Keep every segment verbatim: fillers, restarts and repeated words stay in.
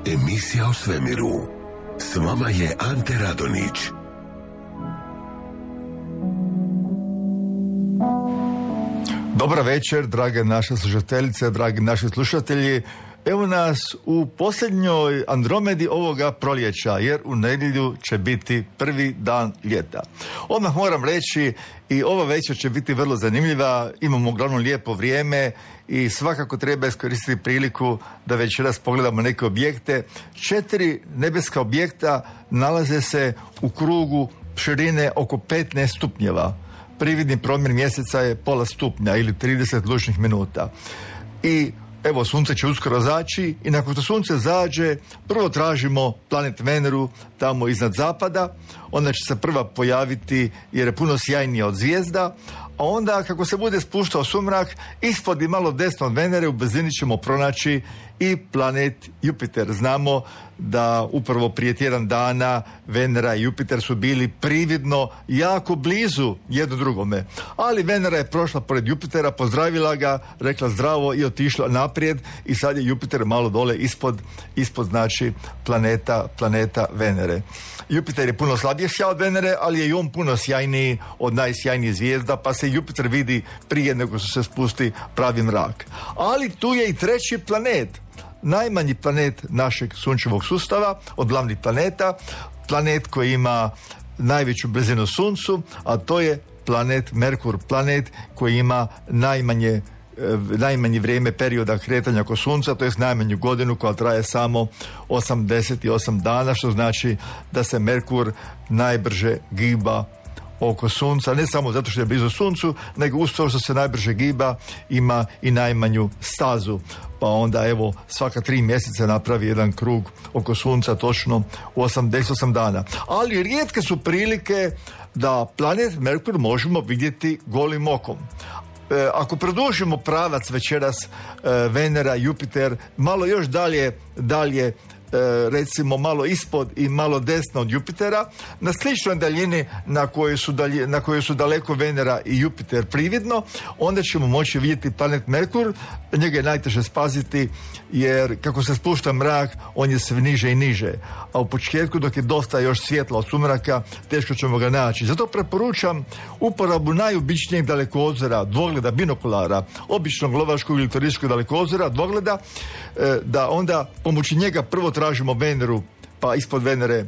Emisija o svemiru. S vama je Ante Radonić. Dobar večer, drage naše slušateljice, dragi naši slušatelji. Evo nas u posljednjoj Andromedi ovoga proljeća, jer u nedjelju će biti prvi dan ljeta. Odmah moram reći, i ova večer će biti vrlo zanimljiva, imamo uglavnom lijepo vrijeme i svakako treba iskoristiti priliku da večeras pogledamo neke objekte. Četiri nebeska objekta nalaze se u krugu širine oko petnaest stupnjeva. Prividni promjer mjeseca je pola stupnja ili trideset lučnih minuta. I evo, sunce će uskoro zaći i nakon što sunce zađe, prvo tražimo planet Veneru tamo iznad zapada. Ona će se prva pojaviti jer je puno sjajnija od zvijezda, a onda kako se bude spuštao sumrak, ispod i malo desno od Venere u blizini ćemo pronaći i planet Jupiter. Znamo da upravo prije tjedan dana Venera i Jupiter su bili prividno jako blizu jedno drugome. Ali Venera je prošla pored Jupitera, pozdravila ga, rekla zdravo i otišla naprijed i sad je Jupiter malo dole ispod, ispod znači planeta, planeta Venere. Jupiter je puno slabije sjaj od Venere, ali je i on puno sjajniji od najsjajnijih zvijezda, pa se Jupiter vidi prije nego što se spusti pravi mrak. Ali tu je i treći planet, najmanji planet našeg sunčevog sustava, od glavnih planeta, planet koji ima najveću blizinu Suncu, a to je planet Merkur, planet koji ima najmanje najmanje vrijeme perioda kretanja oko Sunca, to je najmanju godinu koja traje samo osamdeset osam dana, što znači da se Merkur najbrže giba oko Sunca, ne samo zato što je blizu Suncu, nego uz to što se najbrže giba ima i najmanju stazu. Pa onda evo svaka tri mjeseca napravi jedan krug oko Sunca točno u osamdeset osam dana. Ali rijetke su prilike da planet Merkur možemo vidjeti golim okom. E, ako produžimo pravac večeras e, Venera, Jupiter, malo još dalje, dalje recimo malo ispod i malo desno od Jupitera, na sličnoj daljini na kojoj su, dalje, na kojoj su daleko Venera i Jupiter prividno, onda ćemo moći vidjeti planet Merkur. Njega je najteže spaziti jer kako se spušta mrak, on je sve niže i niže, a u početku dok je dosta još svjetla od sumraka, teško ćemo ga naći. Zato preporučam uporabu najobičnijeg dalekozora, dvogleda, binokulara, običnog lovačkog ili turističkog dalekozora, dvogleda, da onda pomoću njega prvo tražimo Veneru, pa ispod Venere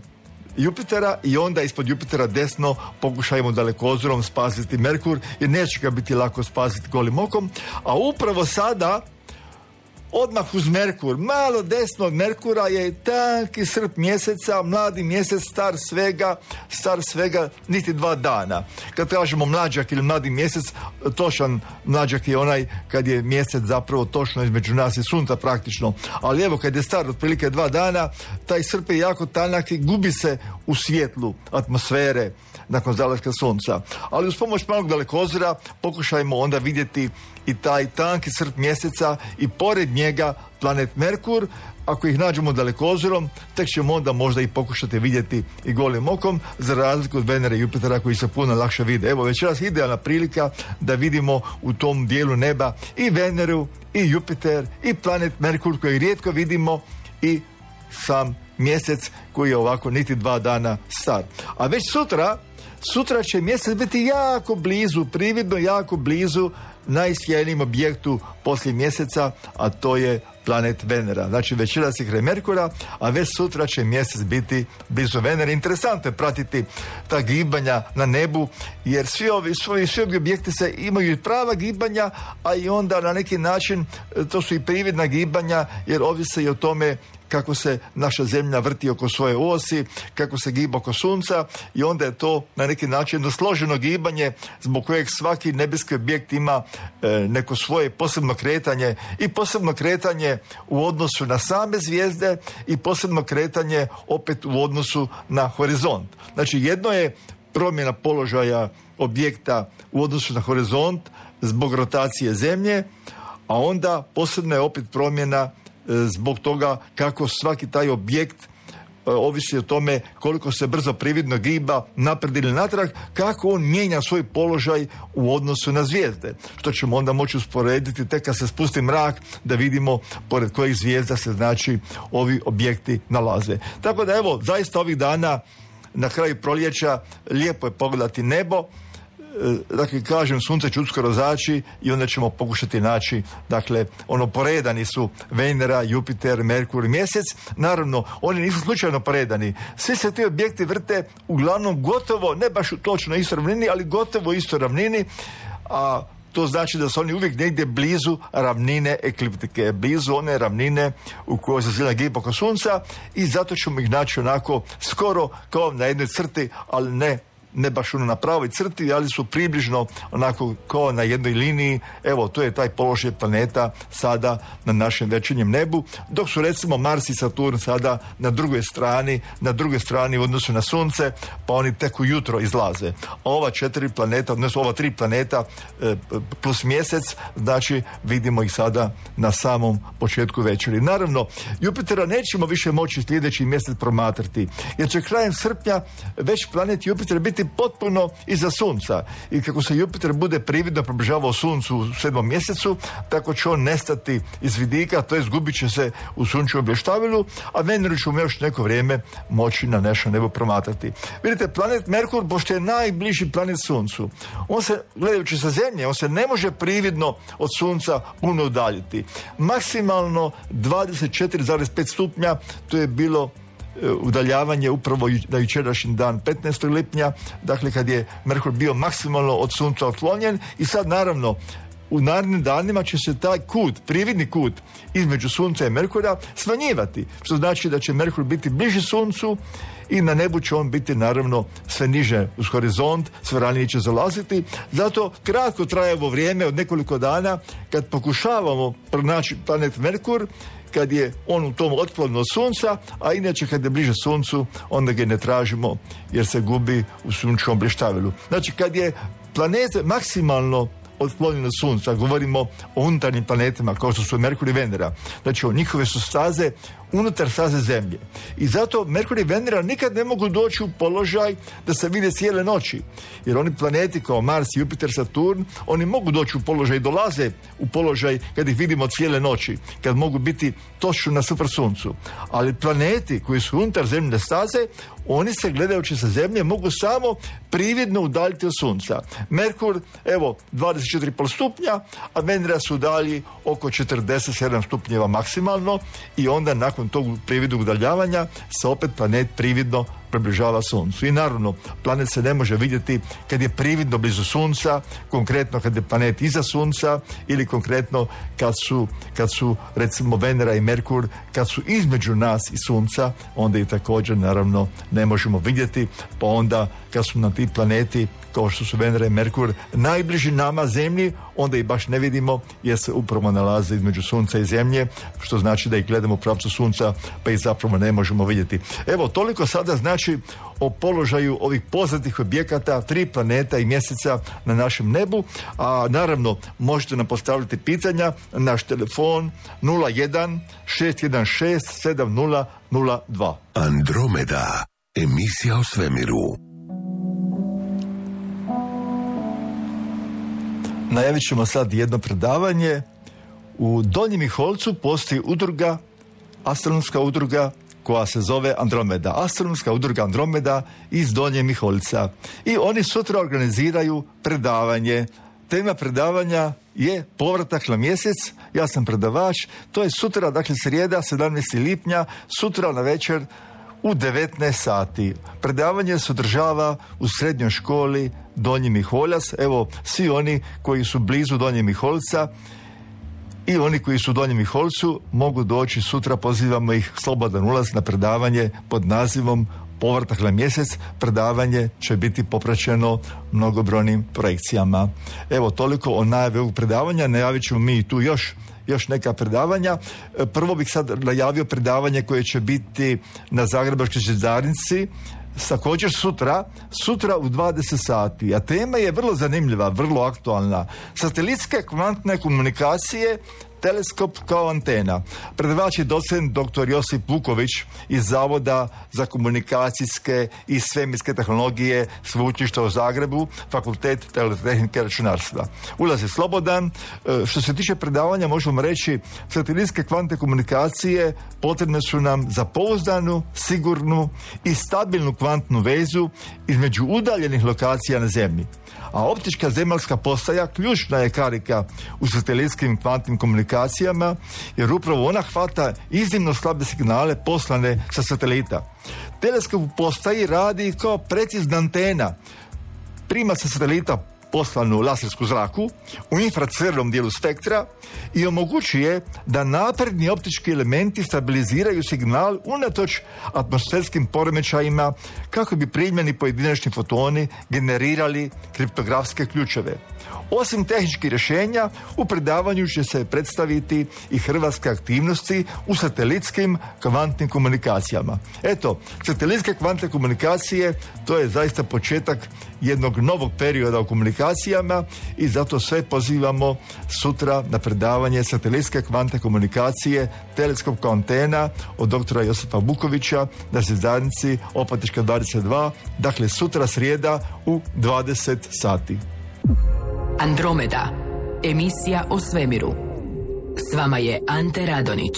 Jupitera i onda ispod Jupitera desno pokušajmo dalekozorom spasiti Merkur, jer neće ga biti lako spasiti golim okom. A upravo sada, odmah uz Merkur, malo desno od Merkura je tanki srp mjeseca, mladi mjesec, star svega, star svega niti dva dana. Kad kažemo mlađak ili mladi mjesec, točan mlađak je onaj kad je mjesec zapravo točno između nas i Sunca praktično. Ali evo kad je star otprilike dva dana, taj srp je jako tanak i gubi se u svjetlu atmosfere nakon zalaska Sunca. Ali uz pomoć malog dalekozora pokušajmo onda vidjeti i taj tanki srp mjeseca i pored njega planet Merkur. Ako ih nađemo dalekozorom, tek ćemo onda možda i pokušati vidjeti i golim okom, za razliku od Venere i Jupitera koji se puno lakše vide. Evo večeras idealna prilika da vidimo u tom dijelu neba i Veneru, i Jupiter, i planet Merkur koji rijetko vidimo, i sam mjesec koji je ovako niti dva dana star. A već sutra, sutra će mjesec biti jako blizu, prividno jako blizu najsjajnijem objektu poslije mjeseca, a to je planet Venera. Znači večeras je kraj Merkura, a već sutra će mjesec biti blizu Venere. Interesantno je pratiti ta gibanja na nebu, jer svi ovi, svi, svi ovi objekti se imaju prava gibanja, a i onda na neki način to su i prividna gibanja, jer ovise i o tome kako se naša zemlja vrti oko svoje osi, kako se giba oko sunca, i onda je to na neki način jedno složeno gibanje zbog kojeg svaki nebeski objekt ima e, neko svoje posebno kretanje, i posebno kretanje u odnosu na same zvijezde i posebno kretanje opet u odnosu na horizont. Znači jedno je promjena položaja objekta u odnosu na horizont zbog rotacije zemlje, a onda posebno je opet promjena zbog toga kako svaki taj objekt ovisi o tome koliko se brzo prividno giba naprijed ili natrag, kako on mijenja svoj položaj u odnosu na zvijezde, što ćemo onda moći usporediti tek kad se spusti mrak da vidimo pored kojih zvijezda se znači ovi objekti nalaze. Tako da evo, zaista ovih dana na kraju proljeća lijepo je pogledati nebo. Dakle, kažem, sunce će uskoro zaći i onda ćemo pokušati naći, dakle, ono, poredani su Venera, Jupiter, Merkur i Mjesec. Naravno, oni nisu slučajno poredani. Svi se ti objekti vrte uglavnom gotovo, ne baš točno istoj ravnini, ali gotovo istoj ravnini, a to znači da su oni uvijek negdje blizu ravnine ekliptike, blizu one ravnine u kojoj se zemlja giba oko sunca, i zato ćemo ih naći onako skoro kao na jednoj crti, ali ne ne baš ono na pravoj crti, ali su približno onako kao na jednoj liniji. Evo, to je taj položaj planeta sada na našem večernjem nebu, dok su recimo Mars i Saturn sada na drugoj strani, na drugoj strani u odnosu na sunce, pa oni tek ujutro izlaze. A ova četiri planeta, odnosno ova tri planeta plus mjesec, znači vidimo ih sada na samom početku večeri. Naravno, Jupitera nećemo više moći sljedeći mjesec promatrati, jer će krajem srpnja već planet Jupiter biti potpuno iza sunca, i kako se Jupiter bude prividno približavao suncu u sedmom mjesecu, tako će on nestati iz vidika, to jest gubit će se u sunčevom bleštavilu, a Veneru ćemo još neko vrijeme moći na našem nebu promatrati. Vidite, planet Merkur, pošto je najbliži planet suncu, on se, gledajući sa zemlje, on se ne može prividno od sunca puno udaljiti. Maksimalno dvadeset četiri zarez pet stupnja, to je bilo udaljavanje upravo na jučerašnji dan petnaestog lipnja, dakle kad je Merkur bio maksimalno od sunca otklonjen, i sad naravno u narednim danima će se taj kut, prividni kut između sunca i Merkura smanjivati, što znači da će Merkur biti bliži suncu i na nebu će on biti naravno sve niže uz horizont, sve ranije će zalaziti. Zato kratko traje ovo vrijeme od nekoliko dana kad pokušavamo pronaći planet Merkur, kad je on u tom otklonu od sunca, a inače kad je bliže suncu, onda ga ne tražimo jer se gubi u sunčevom bleštavilu. Znači kad je planet maksimalno otklonjen od sunca, govorimo o unutarnjim planetima kao što su Merkur i Venera, znači o njihove su staze unutar staze Zemlje. I zato Merkur i Venera nikad ne mogu doći u položaj da se vide cijele noći. Jer oni planeti kao Mars, Jupiter, Saturn, oni mogu doći u položaj, dolaze u položaj kad ih vidimo cijele noći, kad mogu biti točno na super suncu. Ali planeti koji su unutar zemljine staze, oni se gledajući sa Zemlje mogu samo prividno udaljiti od sunca. Merkur, evo, dvadeset četiri zarez pet stupnja, a Venera su udalji oko četrdeset sedam stupnjeva maksimalno, i onda nakon tog prividnog udaljavanja se opet planet prividno približava suncu. I naravno, planet se ne može vidjeti kad je prividno blizu sunca, konkretno kad je planet iza sunca, ili konkretno kad su, kad su recimo Venera i Merkur, kad su između nas i sunca, onda i također naravno ne možemo vidjeti, pa onda kad su nam ti planeti kao što su Venera i Merkur najbliži nama Zemlji, onda ih baš ne vidimo jer se upravo nalaze između sunca i Zemlje, što znači da ih gledamo u pravcu sunca, pa ih zapravo ne možemo vidjeti. Evo, toliko sada znači o položaju ovih poznatih objekata, tri planeta i mjeseca na našem nebu, a naravno možete nam postaviti pitanja na naš telefon nula jedan šest jedan šest sedam nula nula dva. Andromeda, emisija o svemiru. Najavit ćemo sad jedno predavanje. U Donjem Miholjcu postoji udruga, astronomska udruga koja se zove Andromeda. Astronomska udruga Andromeda iz Donjeg Miholjca. I oni sutra organiziraju predavanje. Tema predavanja je povratak na mjesec. Ja sam predavač, to je sutra, dakle srijeda, sedamnaestog lipnja, sutra na večer u devetnaest sati. Predavanje se održava u srednjoj školi Donji Miholjac. Evo, svi oni koji su blizu Donjeg Miholjca i oni koji su u Donjem Miholjcu mogu doći sutra, pozivamo ih, slobodan ulaz na predavanje pod nazivom Povratak na mjesec. Predavanje će biti popraćeno mnogobrojnim projekcijama. Evo, toliko o najavi ovog predavanja. Najavit ćemo mi tu još još neka predavanja. Prvo bih sad najavio predavanje koje će biti na Zagrebačkoj željeznici također sutra, sutra u dvadeset sati. A tema je vrlo zanimljiva, vrlo aktualna. Satelitske kvantne komunikacije, teleskop kao antena. Predavač je docent doktor Josip Vuković iz Zavoda za komunikacijske i svemirske tehnologije Sveučilišta u Zagrebu, Fakultet elektrotehnike i računarstva. Ulaz je slobodan. Što se tiče predavanja, možemo reći, satelitske kvantne komunikacije potrebne su nam za pouzdanu, sigurnu i stabilnu kvantnu vezu između udaljenih lokacija na Zemlji. A optička zemaljska postaja ključna je karika u satelitskim kvantnim komunikacijama, jer upravo ona hvata iznimno slabe signale poslane sa satelita. Teleskop u postaji radi kao precizna antena. Prima sa satelita poslanu lasersku zraku u infracrvenom dijelu spektra i omogućuje da napredni optički elementi stabiliziraju signal unatoč atmosferskim poremećajima kako bi primljeni pojedinačni fotoni generirali kriptografske ključeve. Osim tehničkih rješenja, u predavanju će se predstaviti i hrvatske aktivnosti u satelitskim kvantnim komunikacijama. Eto, satelitske kvantne komunikacije, to je zaista početak jednog novog perioda u komunikacijama i zato sve pozivamo sutra na predavanje satelitske kvantne komunikacije, teleskop kao antena od doktora Josipa Vukovića na Zvjezdanici Opatička dvadeset dva, dakle sutra srijeda u dvadeset sati. Andromeda, emisija o svemiru. S vama je Ante Radonić.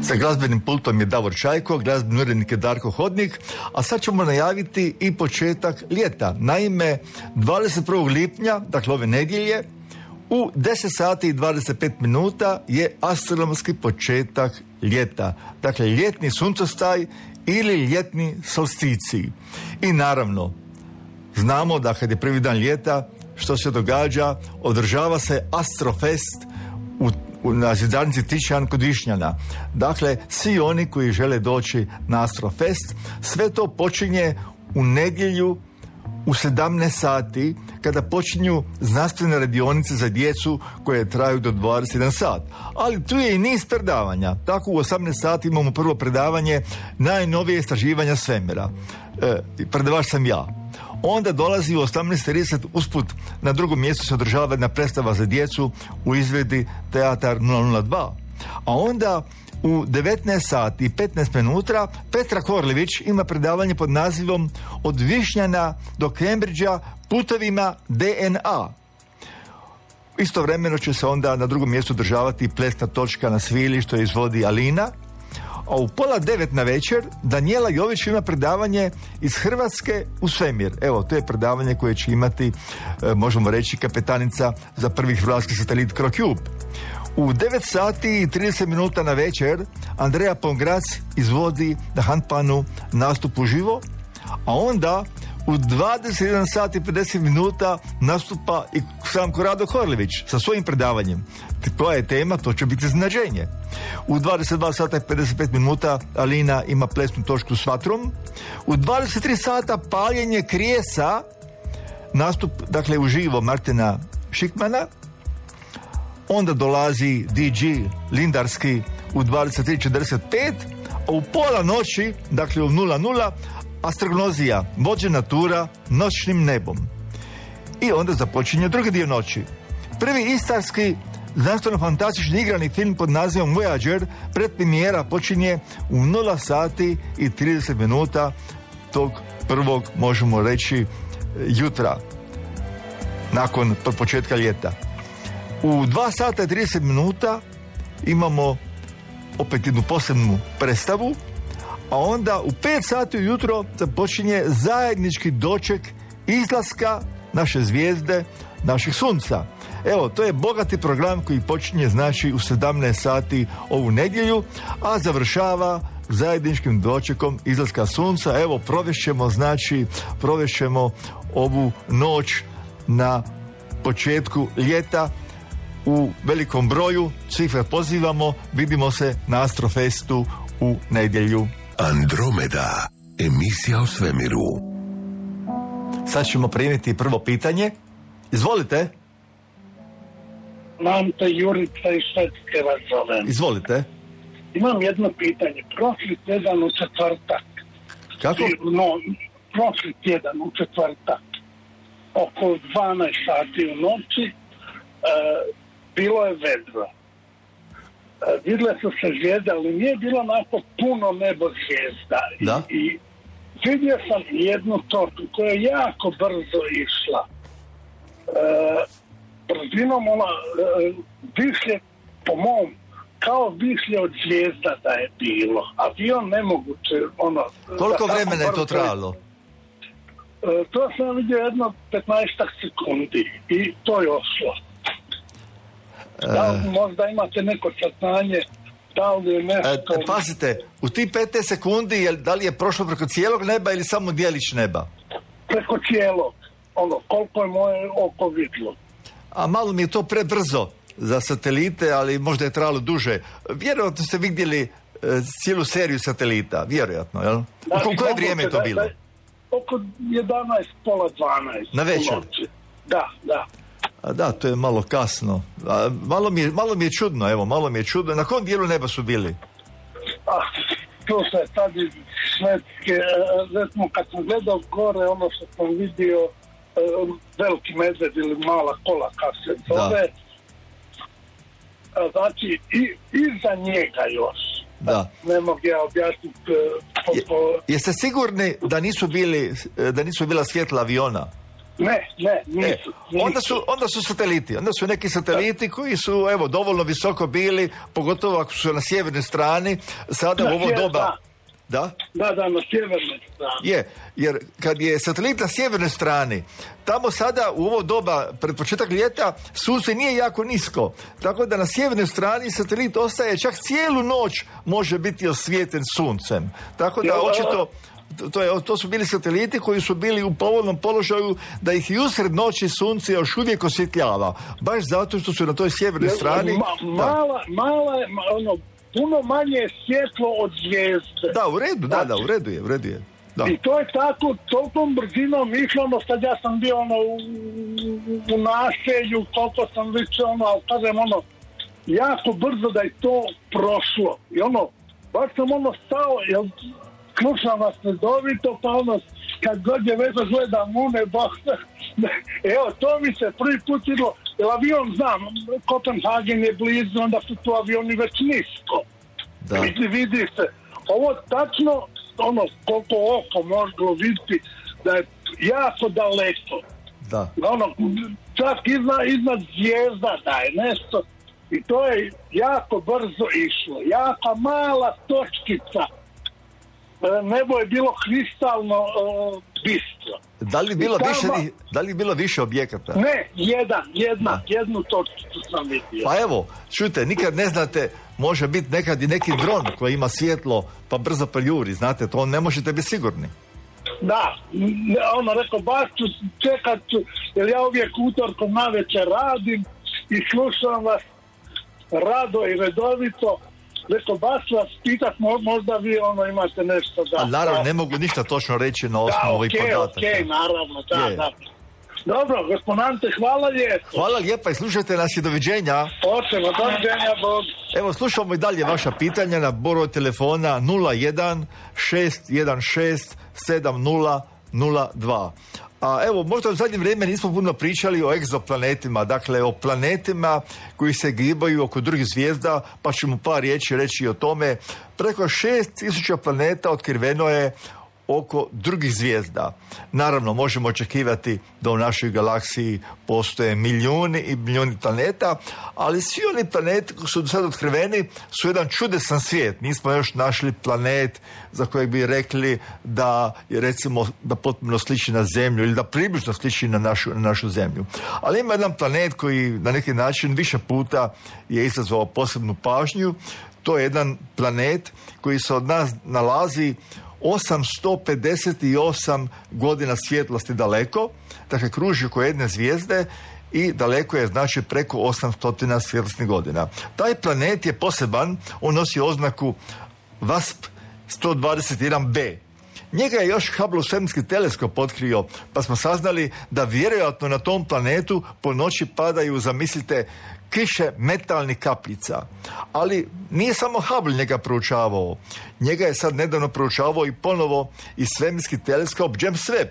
Sa glazbenim pultom je Davor Čajko, glazbeni urednik je Darko Hodnik, a sad ćemo najaviti i početak ljeta. Naime, dvadeset prvog lipnja, dakle ove nedjelje, u deset sati i dvadeset pet minuta je astronomski početak ljeta. Dakle, ljetni suncostaj ili ljetni solsticij. I naravno, znamo da kad je prvi dan ljeta, što se događa, održava se Astrofest u, u, na Zvjezdanici Tišjan kod Višnjana. Dakle, svi oni koji žele doći na Astrofest, sve to počinje u nedjelju u sedamnaest sati, kada počinju znanstvene radionice za djecu koje traju do dvadeset jedan sat. Ali tu je i niz predavanja. Tako u osamnaest sati imamo prvo predavanje najnovije istraživanja svemira. E, predavač sam ja. Onda dolazi u osamnaest trideset usput na drugom mjestu se održava jedna predstava za djecu u izvedbi Teatar nula nula dva. A onda u devetnaest sati i petnaest minuta Petra Korlević ima predavanje pod nazivom Od Višnjana do Cambridgea putovima D N A. Istovremeno će se onda na drugom mjestu održavati plesna točka na svili što izvodi Alina. A u pola devet na večer Danijela Jović ima predavanje iz Hrvatske u svemir. Evo, to je predavanje koje će imati, e, možemo reći, kapetanica za prvi hrvatski satelit Crocube. U devet sati i trideset minuta na večer Andreja Pongrac izvodi na Handpanu nastup uživo, a onda u dvadeset jedan sati i pedeset minuta nastupa i sam Korado Korlević sa svojim predavanjem. Koja je tema? To će biti iznenađenje. U dvadeset dva sata i pedeset pet minuta Alina ima plesnu točku s vatrom. U dvadeset tri sata paljenje krijesa, nastup, dakle, uživo Martina Šikmana. Onda dolazi D J Lindarski u dvadeset tri četrdeset pet, a u pola noći, dakle u nula nula, astrognozija, vođena tura noćnim nebom. I onda započinje drugi dio noći. Prvi istarski znanstveno-fantastični igrani film pod nazivom Voyager, predpremijera počinje u nula sati i trideset minuta tog prvog, možemo reći, jutra, nakon početka ljeta. U dva sata i trideset minuta imamo opet jednu posebnu predstavu, a onda u pet sati ujutro započinje zajednički doček izlaska naše zvijezde, naših sunca. Evo, to je bogati program koji počinje, znači, u sedamnaest sati ovu nedjelju, a završava zajedničkim dočekom izlaska sunca. Evo, provešćemo, znači, provešćemo ovu noć na početku ljeta u velikom broju. Svih vas pozivamo, vidimo se na Astrofestu u nedjelju. Andromeda, emisija o svemiru. Sad ćemo primiti prvo pitanje. Izvolite. Ante Jurica iz Švedske vas zovem. Izvolite. Imam jedno pitanje. Prošli tjedan u četvrtak. Kako? No, prošli tjedan u četvrtak. Oko dvanaest sati u noći e, bilo je vedro. E, vidle su se zvijezde, ali nije bilo onako puno nebo zvijezda. Da? I, i vidio sam jednu tortu koja je jako brzo išla. E, brzinom ona e, višlje, po mom, kao višlje od zvijezda da je bilo. Avion nemoguće, ono... Koliko vremena je to trajalo? E, to sam vidio jedno petnaestak sekundi i to je ošlo. Da li možda imate neko saznanje, da li je nešto... E, pazite, u ti petnaest sekundi, je, da li je prošlo preko cijelog neba ili samo dijelić neba? Preko cijelog. Ono, koliko je moje oko vidlo. A malo mi je to prebrzo za satelite, ali možda je trajalo duže. Vjerojatno ste vidjeli e, cijelu seriju satelita, vjerojatno, jel? Znači, u koje vrijeme je to da, bilo? Da, oko jedanaest, pola dvanaest. Na večer? Da, da. A da, to je malo kasno. A, malo, mi je, malo mi je čudno, evo, malo mi je čudno. Na kom dijelu neba su bili? Ah, to se sad iz Švedske, recimo kad sam gledao gore, ono što sam vidio, veliki medved ili mala kola, kako se zove, znači i, iza njega još. Da. Ne mogu ja objasniti. Po, po... Je, jeste sigurni da nisu bili, da nisu bila svjetla aviona? Ne, ne, nisu. E, onda, su, onda su sateliti. Onda su neki sateliti koji su, evo, dovoljno visoko bili, pogotovo ako su na sjevernoj strani, sada da, u ovo je, doba... Da. Da? Da, da, na sjevernoj strani. Je, jer kad je satelit na sjevernoj strani, tamo sada u ovo doba, pred početak ljeta, sunce nije jako nisko. Tako da na sjevernoj strani satelit ostaje čak cijelu noć, može biti osvijetljen suncem. Tako da očito... To, je, to su bili sateliti koji su bili u povoljnom položaju da ih i usred noći sunce još uvijek osvjetljava. Baš zato što su na toj sjevernoj strani... Ma, mala, mala je, ono, puno manje je svjetlo od zvijezde. Da, u redu, da, da, u redu je, u redu je. Da. I to je tako, tolikom brzinom išlo, ono, sad ja sam bio, ono, u, u naselju, koliko sam više, ono, ali kažem, ono, jako brzo da je to prošlo. I ono, baš sam, ono, stao, jel, slušam vas redovito, pa ono, kad god je već gledam u nebo, evo, to mi se prvi put idlo, jer avion znam, Kopenhagen je blizu, onda su tu avioni već nisko. Da. Vidi, vidi se. Ovo tačno, ono, koliko oko možemo vidjeti, da je jako daleko. Da. Ono, čak iznad, iznad zvijezda da je nešto. I to je jako brzo išlo. Jaka mala točkica. Nebo je bilo kristalno uh, bistro. Da li bilo tamo, više, da li bilo više objekata? Ne, jedan, jedna, jednu točkicu sam vidio. Pa evo, čujte, nikad ne znate, može biti nekad i neki dron koji ima svjetlo pa brzo preljuri, znate, to ne možete biti sigurni. Da, ono rekao, baš ću čekat ću, jer ja uvijek utorkom navečer radim i slušam vas rado i redovito. Rekao, baš vas pitat, možda vi ono imate nešto da... A naravno, ne mogu ništa točno reći na osnovu ovih okay, podataka. Da, okej, naravno, da, je. da. Dobro, gospodante, hvala lijepo. Hvala lijepa i slušajte nas i doviđenja. Hoćemo, doviđenja, Bog. Evo, slušamo i dalje vaša pitanja na broj telefona nula jedan šest jedan šest sedam nula nula dva. A evo, možda u zadnje vrijeme nismo puno pričali o egzoplanetima, dakle o planetima koji se gibaju oko drugih zvijezda, pa ćemo par riječi reći o tome. Preko šest tisuća planeta otkriveno je oko drugih zvijezda. Naravno, možemo očekivati da u našoj galaksiji postoje milijuni i milijuni planeta, ali svi oni planeti koji su do sada otkriveni su jedan čudesan svijet. Nismo još našli planet za kojeg bi rekli da je, recimo, da potpuno sliči na Zemlju ili da približno sliči na našu, na našu Zemlju. Ali ima jedan planet koji na neki način više puta je izazvao posebnu pažnju. To je jedan planet koji se od nas nalazi osamsto pedeset osam godina svjetlosti daleko, dakle kruži oko jedne zvijezde i daleko je, znači, preko osamsto svjetlosnih godina. Taj planet je poseban, on nosi oznaku V A S P sto dvadeset jedan b. Njega je još Hubble svemirski teleskop otkrio, pa smo saznali da vjerojatno na tom planetu po noći padaju, zamislite, kiše metalnih kapljica. Ali nije samo Hubble njega proučavao. Njega je sad nedavno proučavao i ponovo i svemirski teleskop James Webb.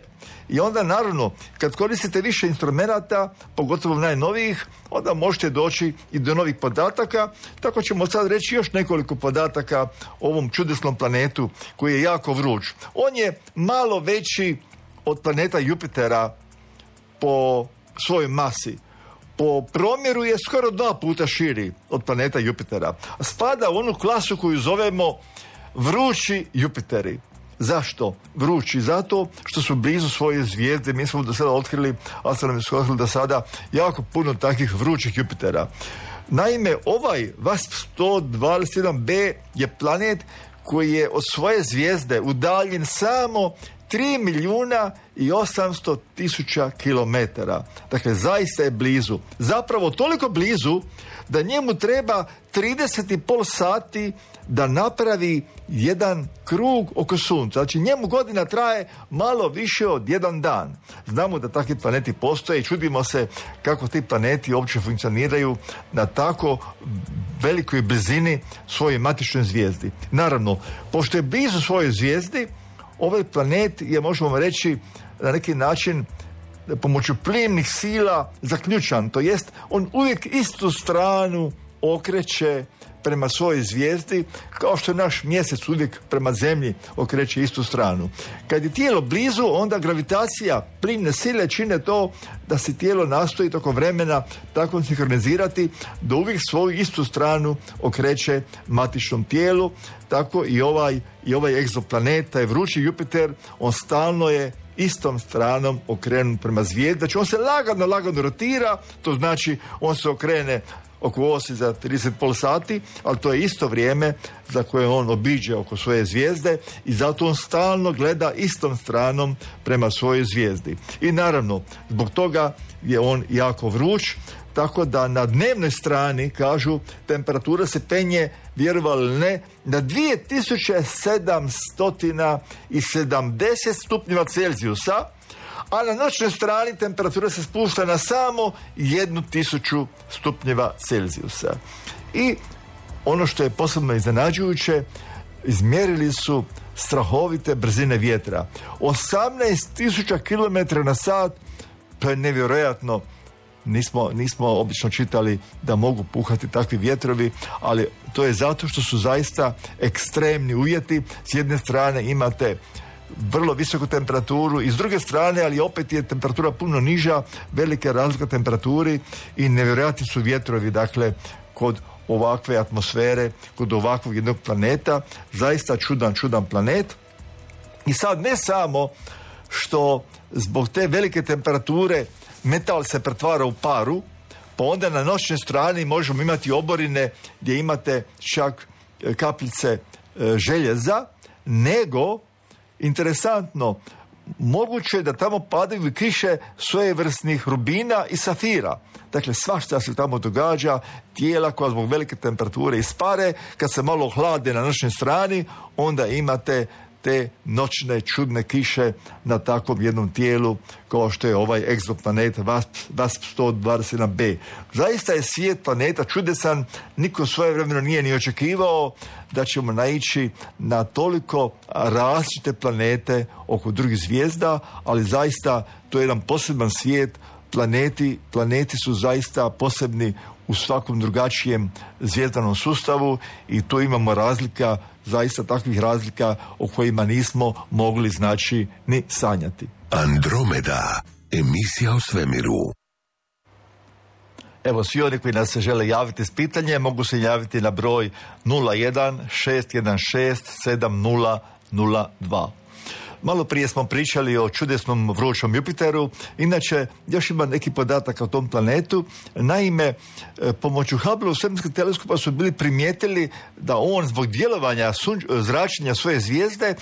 I onda, naravno, kad koristite više instrumenata, pogotovo najnovijih, onda možete doći i do novih podataka. Tako ćemo sad reći još nekoliko podataka o ovom čudesnom planetu koji je jako vruć. On je malo veći od planeta Jupitera po svojoj masi. Po promjeru je skoro dva puta širi od planeta Jupitera. Spada u onu klasu koju zovemo vrući Jupiteri. Zašto vrući? Zato što su blizu svoje zvijezde. Mi smo do sada otkrili, astronomi su otkrili do sada jako puno takvih vrućih Jupitera. Naime, ovaj V A S P sto dvadeset jedan b je planet koji je od svoje zvijezde udaljen samo tri milijuna i osamsto tisuća kilometara. Dakle, zaista je blizu. Zapravo toliko blizu da njemu treba trideset i pol sati da napravi jedan krug oko Sunca. Znači, njemu godina traje malo više od jedan dan. Znamo da takvi planeti postoje i čudimo se kako ti planeti uopće funkcioniraju na tako velikoj blizini svojoj matičnoj zvijezdi. Naravno, pošto je blizu svojoj zvijezdi, ovaj planet je, možemo reći, na neki način pomoću plimnih sila zaključan. To jest, on uvijek istu stranu okreće prema svojoj zvijezdi, kao što je naš mjesec uvijek prema zemlji okreće istu stranu. Kad je tijelo blizu, onda gravitacija, plimne sile čine to da se tijelo nastoji tokom vremena tako sinkronizirati da uvijek svoju istu stranu okreće matičnom tijelu. Tako i ovaj, i ovaj egzoplanet, taj vrući Jupiter, on stalno je istom stranom okrenut prema zvijezdi. Znači, on se lagano, lagano rotira, to znači on se okrene oko osi za trideset i pol sati, ali to je isto vrijeme za koje on obiđe oko svoje zvijezde i zato on stalno gleda istom stranom prema svojoj zvijezdi. I naravno, zbog toga je on jako vruć, tako da na dnevnoj strani, kažu, temperatura se penje, vjerovali ili ne, na dvije tisuće sedamsto sedamdeset stupnjeva Celzijusa, a na noćnoj strani temperatura se spušta na samo jednu tisuću stupnjeva Celzijusa. I ono što je posebno iznenađujuće, izmjerili su strahovite brzine vjetra. osamnaest tisuća kilometara na sat, to je nevjerojatno. Nismo, nismo obično čitali da mogu puhati takvi vjetrovi, ali to je zato što su zaista ekstremni uvjeti. S jedne strane imate vrlo visoku temperaturu i s druge strane, ali opet je temperatura puno niža, velika razlika temperaturi i nevjerojatni su vjetrovi, dakle, kod ovakve atmosfere, kod ovakvog jednog planeta. Zaista čudan, čudan planet. I sad ne samo što zbog te velike temperature metal se pretvara u paru, pa onda na noćnoj strani možemo imati oborine gdje imate čak kapljice željeza, nego, interesantno, moguće je da tamo padaju kiše svojevrsnih rubina i safira. Dakle, svašta se tamo događa, tijela koja zbog velike temperature ispare, kad se malo hlade na noćnoj strani, onda imate te noćne čudne kiše na takvom jednom tijelu kao što je ovaj egzoplanet V A S P sto dvadeset jedan b. Zaista je svijet planeta čudesan, niko svojevremeno nije ni očekivao da ćemo naići na toliko različite planete oko drugih zvijezda, ali zaista to je jedan poseban svijet. Planeti, planeti su zaista posebni u svakom drugačijem zvijezdanom sustavu i tu imamo razlika zaista takvih razlika o kojima nismo mogli znači ni sanjati. Andromeda, emisija o svemiru. Evo, svi oni koji nas se žele javiti s pitanjem mogu se javiti na broj nula jedan šest jedan šest sedam nula nula dva. Malo prije smo pričali o čudesnom vrućom Jupiteru. Inače, još ima neki podatak o tom planetu. Naime, pomoću Hubble svemirskog teleskopa su bili primijetili da on zbog djelovanja sunč- zračenja svoje zvijezde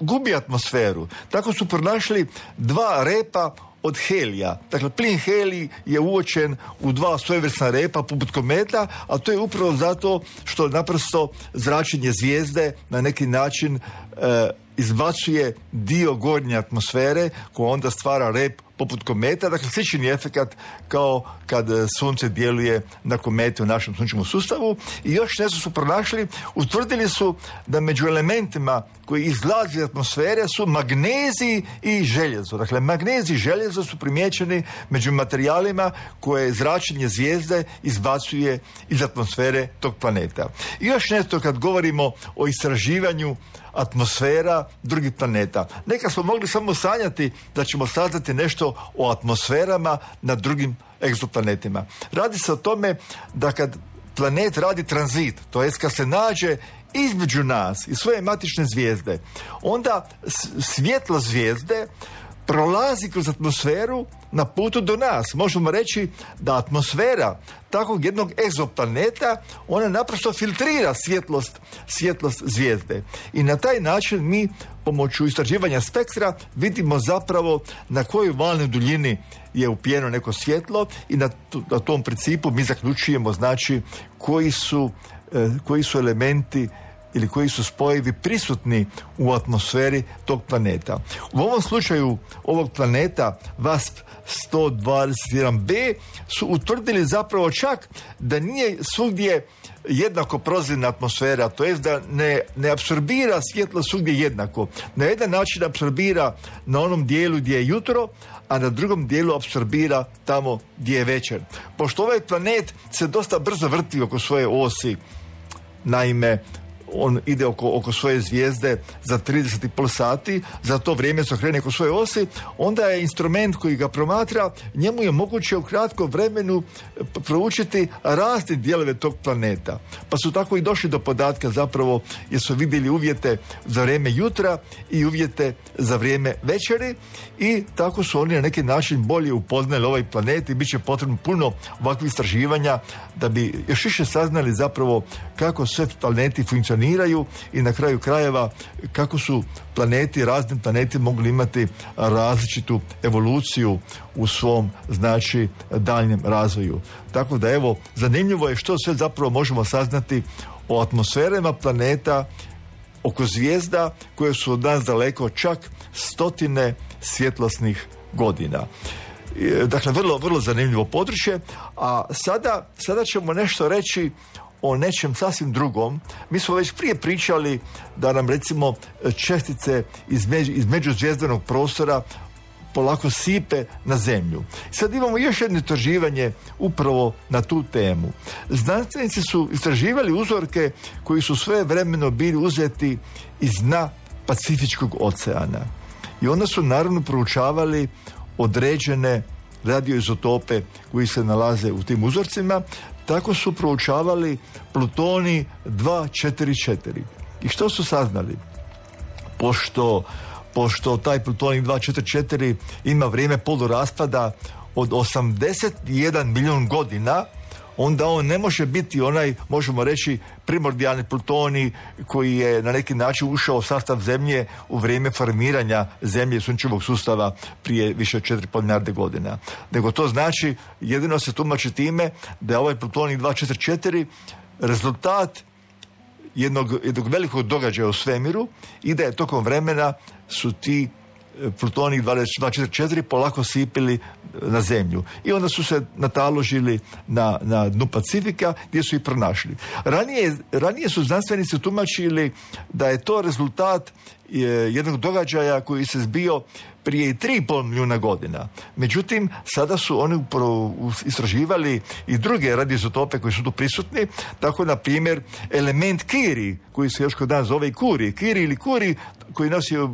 gubi atmosferu. Tako su pronašli dva repa od helija. Dakle, plin helij je uočen u dva svojevrsna repa poput kometa, a to je upravo zato što naprosto zračenje zvijezde na neki način e, izbacuje dio gornje atmosfere koja onda stvara rep poput kometa, dakle slični efekat kao kad sunce djeluje na komete u našem sunčevom sustavu. I još nešto su pronašli, utvrdili su da među elementima koji izlaze iz atmosfere su magnezij i željezo. Dakle, magnezij i željezo su primijećeni među materijalima koje zračenje zvijezde izbacuje iz atmosfere tog planeta. I još nešto kad govorimo o istraživanju atmosfera drugih planeta. Neka smo mogli samo sanjati da ćemo saznati nešto o atmosferama na drugim egzoplanetima. Radi se o tome da kad planet radi tranzit, to jest kad se nađe između nas i svoje matične zvijezde, onda svjetlo zvijezde prolazi kroz atmosferu na putu do nas. Možemo reći da atmosfera takvog jednog egzoplaneta, ona naprosto filtrira svjetlost, svjetlost zvijezde. I na taj način mi pomoću istraživanja spektra vidimo zapravo na kojoj valnoj duljini je upijeno neko svjetlo i na, na tom principu mi zaključujemo znači koji su, eh, koji su elementi ili koji su spojevi prisutni u atmosferi tog planeta. U ovom slučaju ovog planeta V A S P sto dvadeset jedan be su utvrdili zapravo čak da nije svugdje jednako prozirna atmosfera, to jest da ne, ne apsorbira svjetlo svugdje jednako. Na jedan način apsorbira na onom dijelu gdje je jutro, a na drugom dijelu apsorbira tamo gdje je večer. Pošto ovaj planet se dosta brzo vrti oko svoje osi, naime, on ide oko, oko svoje zvijezde za trideset i pol sati, za to vrijeme se okrene oko svoje osi, onda je instrument koji ga promatra, njemu je moguće u kratkom vremenu proučiti razne dijelove tog planeta. Pa su tako i došli do podatka zapravo jer su vidjeli uvjete za vrijeme jutra i uvjete za vrijeme večeri i tako su oni na neki način bolje upoznali ovaj planet i bit će potrebno puno ovakvih istraživanja da bi još više saznali zapravo kako sve planeti funkcioniraju i na kraju krajeva kako su planeti, razni planeti mogli imati različitu evoluciju u svom znači daljnjem razvoju. Tako da evo, zanimljivo je što sve zapravo možemo saznati o atmosferama planeta oko zvijezda koje su od nas daleko čak stotine svjetlosnih godina. Dakle, vrlo, vrlo zanimljivo područje, a sada, sada ćemo nešto reći o nečem sasvim drugom. Mi smo već prije pričali da nam recimo čestice iz, među, iz međuzvjezdanog prostora polako sipe na zemlju. Sad imamo još jedno istraživanje upravo na tu temu. Znanstvenici su istraživali uzorke koji su svojevremeno bili uzeti iz dna Pacifičkog oceana. I onda su naravno proučavali određene radioizotope koji se nalaze u tim uzorcima. Tako su proučavali plutonij dva četiri četiri. I što su saznali? Pošto, pošto taj plutonij dva četiri četiri ima vrijeme poluraspada od osamdeset jedan milijun godina, onda on ne može biti onaj, možemo reći, primordijalni plutonij koji je na neki način ušao u sastav Zemlje u vrijeme formiranja Zemlje i sunčevog sustava prije više od četiri i pol milijarde godina. Nego to znači, jedino se tumači time da je ovaj plutonij dva četiri četiri rezultat jednog, jednog velikog događaja u svemiru i da je tokom vremena su ti plutonij dva četiri četiri polako sipili na zemlju. I onda su se nataložili na, na dnu Pacifika gdje su ih pronašli. Ranije, ranije su znanstvenici tumačili da je to rezultat jednog događaja koji se zbio prije tri i pol milijuna godina. Međutim, sada su oni istraživali i druge radioizotope koji su tu prisutni, tako na primjer element Kiri, koji se još kod nas zove Kuri, Kiri ili Kuri, koji nosi uh,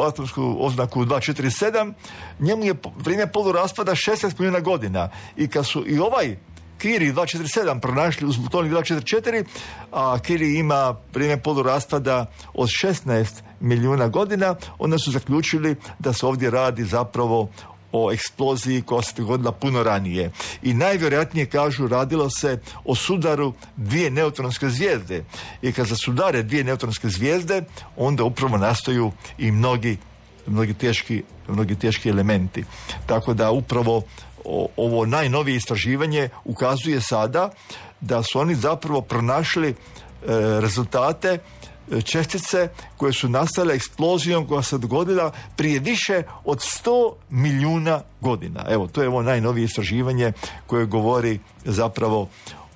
atomsku oznaku dva četiri sedam, njemu je vrijeme poluraspada šesnaest milijuna godina. I kad su i ovaj Kiri dva četiri sedam pronašli uz plutonij dva četiri četiri, a Kiri ima vrijeme poluraspada od šesnaest milijuna godina, onda su zaključili da se ovdje radi zapravo o eksploziji koja se dogodila puno ranije. I najvjerojatnije, kažu, radilo se o sudaru dvije neutronske zvijezde. I kad se sudare dvije neutronske zvijezde, onda upravo nastaju i mnogi, mnogi, teški, mnogi teški elementi. Tako da upravo ovo najnovije istraživanje ukazuje sada da su oni zapravo pronašli e, rezultate čestice koje su nastale eksplozijom koja se dogodila prije više od sto milijuna godina. Evo, to je ovo najnovije istraživanje koje govori zapravo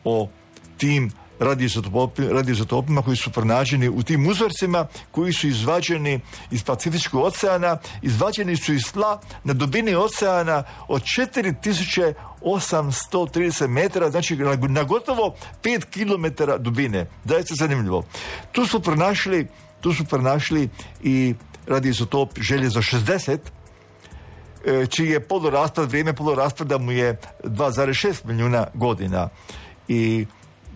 o tim radioizotopima koji su pronađeni u tim uzorcima koji su izvađeni iz Pacifičkog oceana, izvađeni su iz tla na dubini oceana od četiri tisuće osamsto trideset metara, znači na gotovo pet kilometara dubine. Zaista zanimljivo. Tu su pronašli, tu su pronašli i radioizotop željezo šezdeset, čiji je poluraspad, vrijeme poluraspada mu je dva zarez šest milijuna godina. I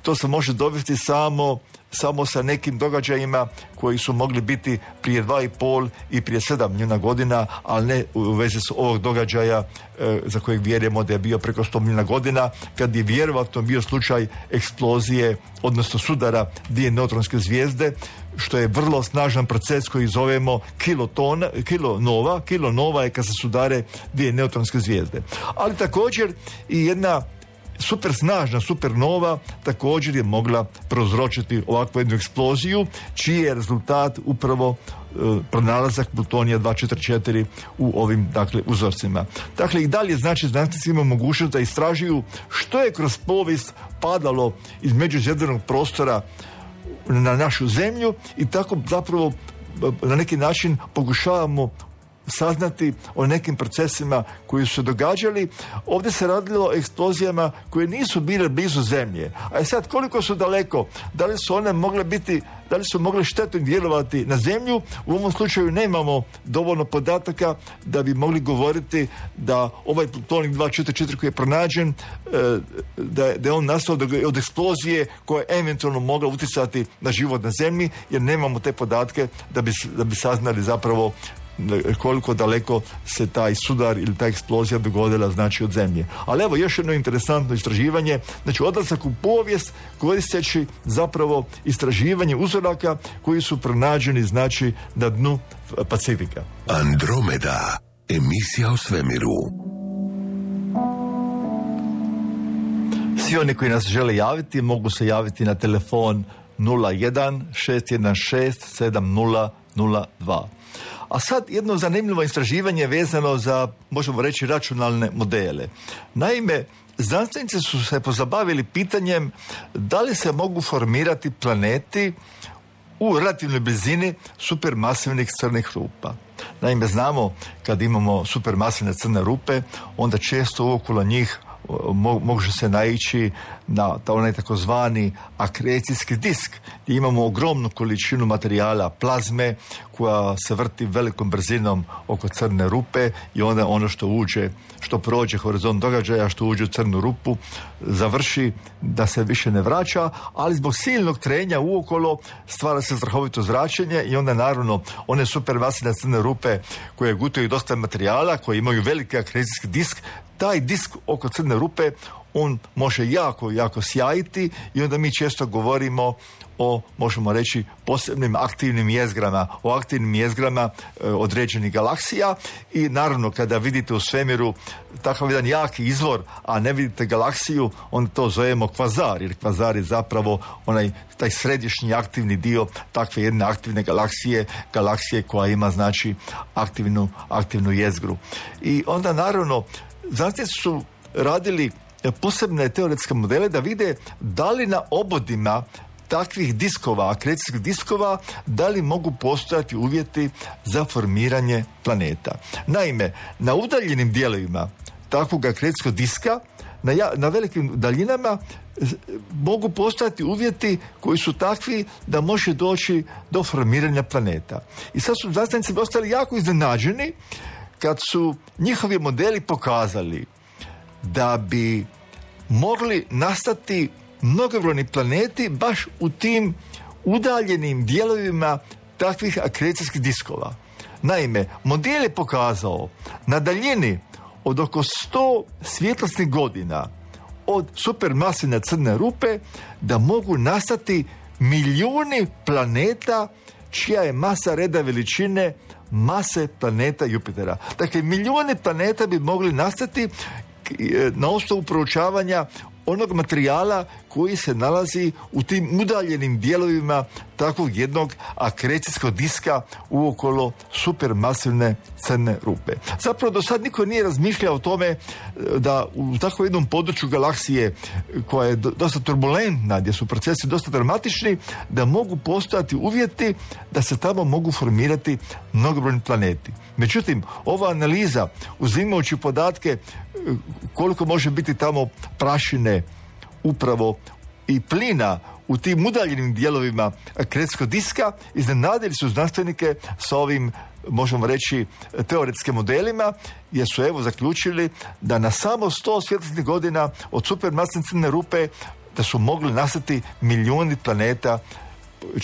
to se može dovesti samo, samo sa nekim događajima koji su mogli biti prije dva i pol i prije sedam milijuna godina, ali ne u vezi s ovog događaja e, za kojeg vjerujemo da je bio preko sto milijuna godina, kad je vjerovatno bio slučaj eksplozije, odnosno sudara dvije neutronske zvijezde, što je vrlo snažan proces koji zovemo kilotona, kilonova. Kilonova je kad se sudare dvije neutronske zvijezde. Ali također i jedna super snažna supernova također je mogla prouzročiti ovakvu jednu eksploziju, čiji je rezultat upravo e, pronalazak plutonija dva četiri četiri u ovim, dakle, uzorcima. Dakle, i dalje, znači, znanstvenici imaju mogućnost da istražuju što je kroz povijest padalo iz međuzemljanog prostora na našu zemlju i tako zapravo na neki način pokušavamo saznati o nekim procesima koji su se događali. Ovdje se radilo o eksplozijama koje nisu bile blizu zemlje. A sad, koliko su daleko, da li su one mogle biti, da li su mogle štetno djelovati na zemlju, u ovom slučaju nemamo dovoljno podataka da bi mogli govoriti da ovaj plutonij dva četiri četiri koji je pronađen, da, da je on nastao od eksplozije koja je eventualno mogla utjecati na život na zemlji, jer nemamo te podatke da bi, da bi saznali zapravo koliko daleko se taj sudar ili ta eksplozija dogodila, znači, od zemlje. Ali evo još jedno interesantno istraživanje, znači odlazak u povijest koristeći zapravo istraživanje uzoraka koji su pronađeni, znači, na dnu Pacifika. Andromeda, emisija o svemiru. Svi oni koji nas žele javiti mogu se javiti na telefon nula jedan šest jedan šest sedam nula nula dva. A sad jedno zanimljivo istraživanje vezano za, možemo reći, računalne modele. Naime, znanstvenici su se pozabavili pitanjem da li se mogu formirati planeti u relativnoj blizini supermasivnih crnih rupa. Naime, znamo kad imamo supermasivne crne rupe, onda često okolo njih može se naići na onaj takozvani akrecijski disk, gdje imamo ogromnu količinu materijala plazme koja se vrti velikom brzinom oko crne rupe i onda ono što uđe, što prođe horizont događaja, što uđe u crnu rupu, završi da se više ne vraća, ali zbog silnog trenja uokolo stvara se strahovito zračenje i onda naravno one supermasivne crne rupe koje gutaju dosta materijala, koje imaju veliki akrecijski disk, taj disk oko crne rupe, on može jako, jako sjajiti i onda mi često govorimo o, možemo reći, posebnim aktivnim jezgrama, o aktivnim jezgrama e, određenih galaksija i naravno kada vidite u svemiru takav jedan jaki izvor, a ne vidite galaksiju, onda to zovemo kvazar, jer kvazar je zapravo onaj, taj središnji aktivni dio takve jedne aktivne galaksije, galaksije koja ima, znači, aktivnu, aktivnu jezgru. I onda naravno znanstvenici su radili posebne teoretske modele da vide da li na obodima takvih diskova, akrecijskih diskova, da li mogu postojati uvjeti za formiranje planeta. Naime, na udaljenim dijelovima takvog akrecijskog diska, na, ja, na velikim daljinama, mogu postojati uvjeti koji su takvi da može doći do formiranja planeta. I sad su znanstvenici ostali jako iznenađeni kad su njihovi modeli pokazali da bi mogli nastati mnogobrojni planeti baš u tim udaljenim dijelovima takvih akrecijskih diskova. Naime, model je pokazao na daljini od oko sto svjetlosnih godina od supermasivne crne rupe da mogu nastati milijuni planeta čija je masa reda veličine mase planeta Jupitera. Dakle, milijuni planeta bi mogli nastati na osnovu proučavanja onog materijala koji se nalazi u tim udaljenim dijelovima takvog jednog akrecijskog diska uokolo supermasivne crne rupe. Zapravo do sad niko nije razmišljao o tome da u takvom jednom području galaksije koja je dosta turbulentna, gdje su procesi dosta dramatični, da mogu postojati uvjeti da se tamo mogu formirati mnogobrojni planeti. Međutim, ova analiza, uzimajući podatke koliko može biti tamo prašine upravo i plina u tim udaljenim dijelovima akrecijskog diska, iznenadili su znanstvenike sa ovim, možemo reći, teoretskim modelima, jer su evo zaključili da na samo sto svjetlosnih godina od supermasivne crne rupe da su mogli nastati milijuni planeta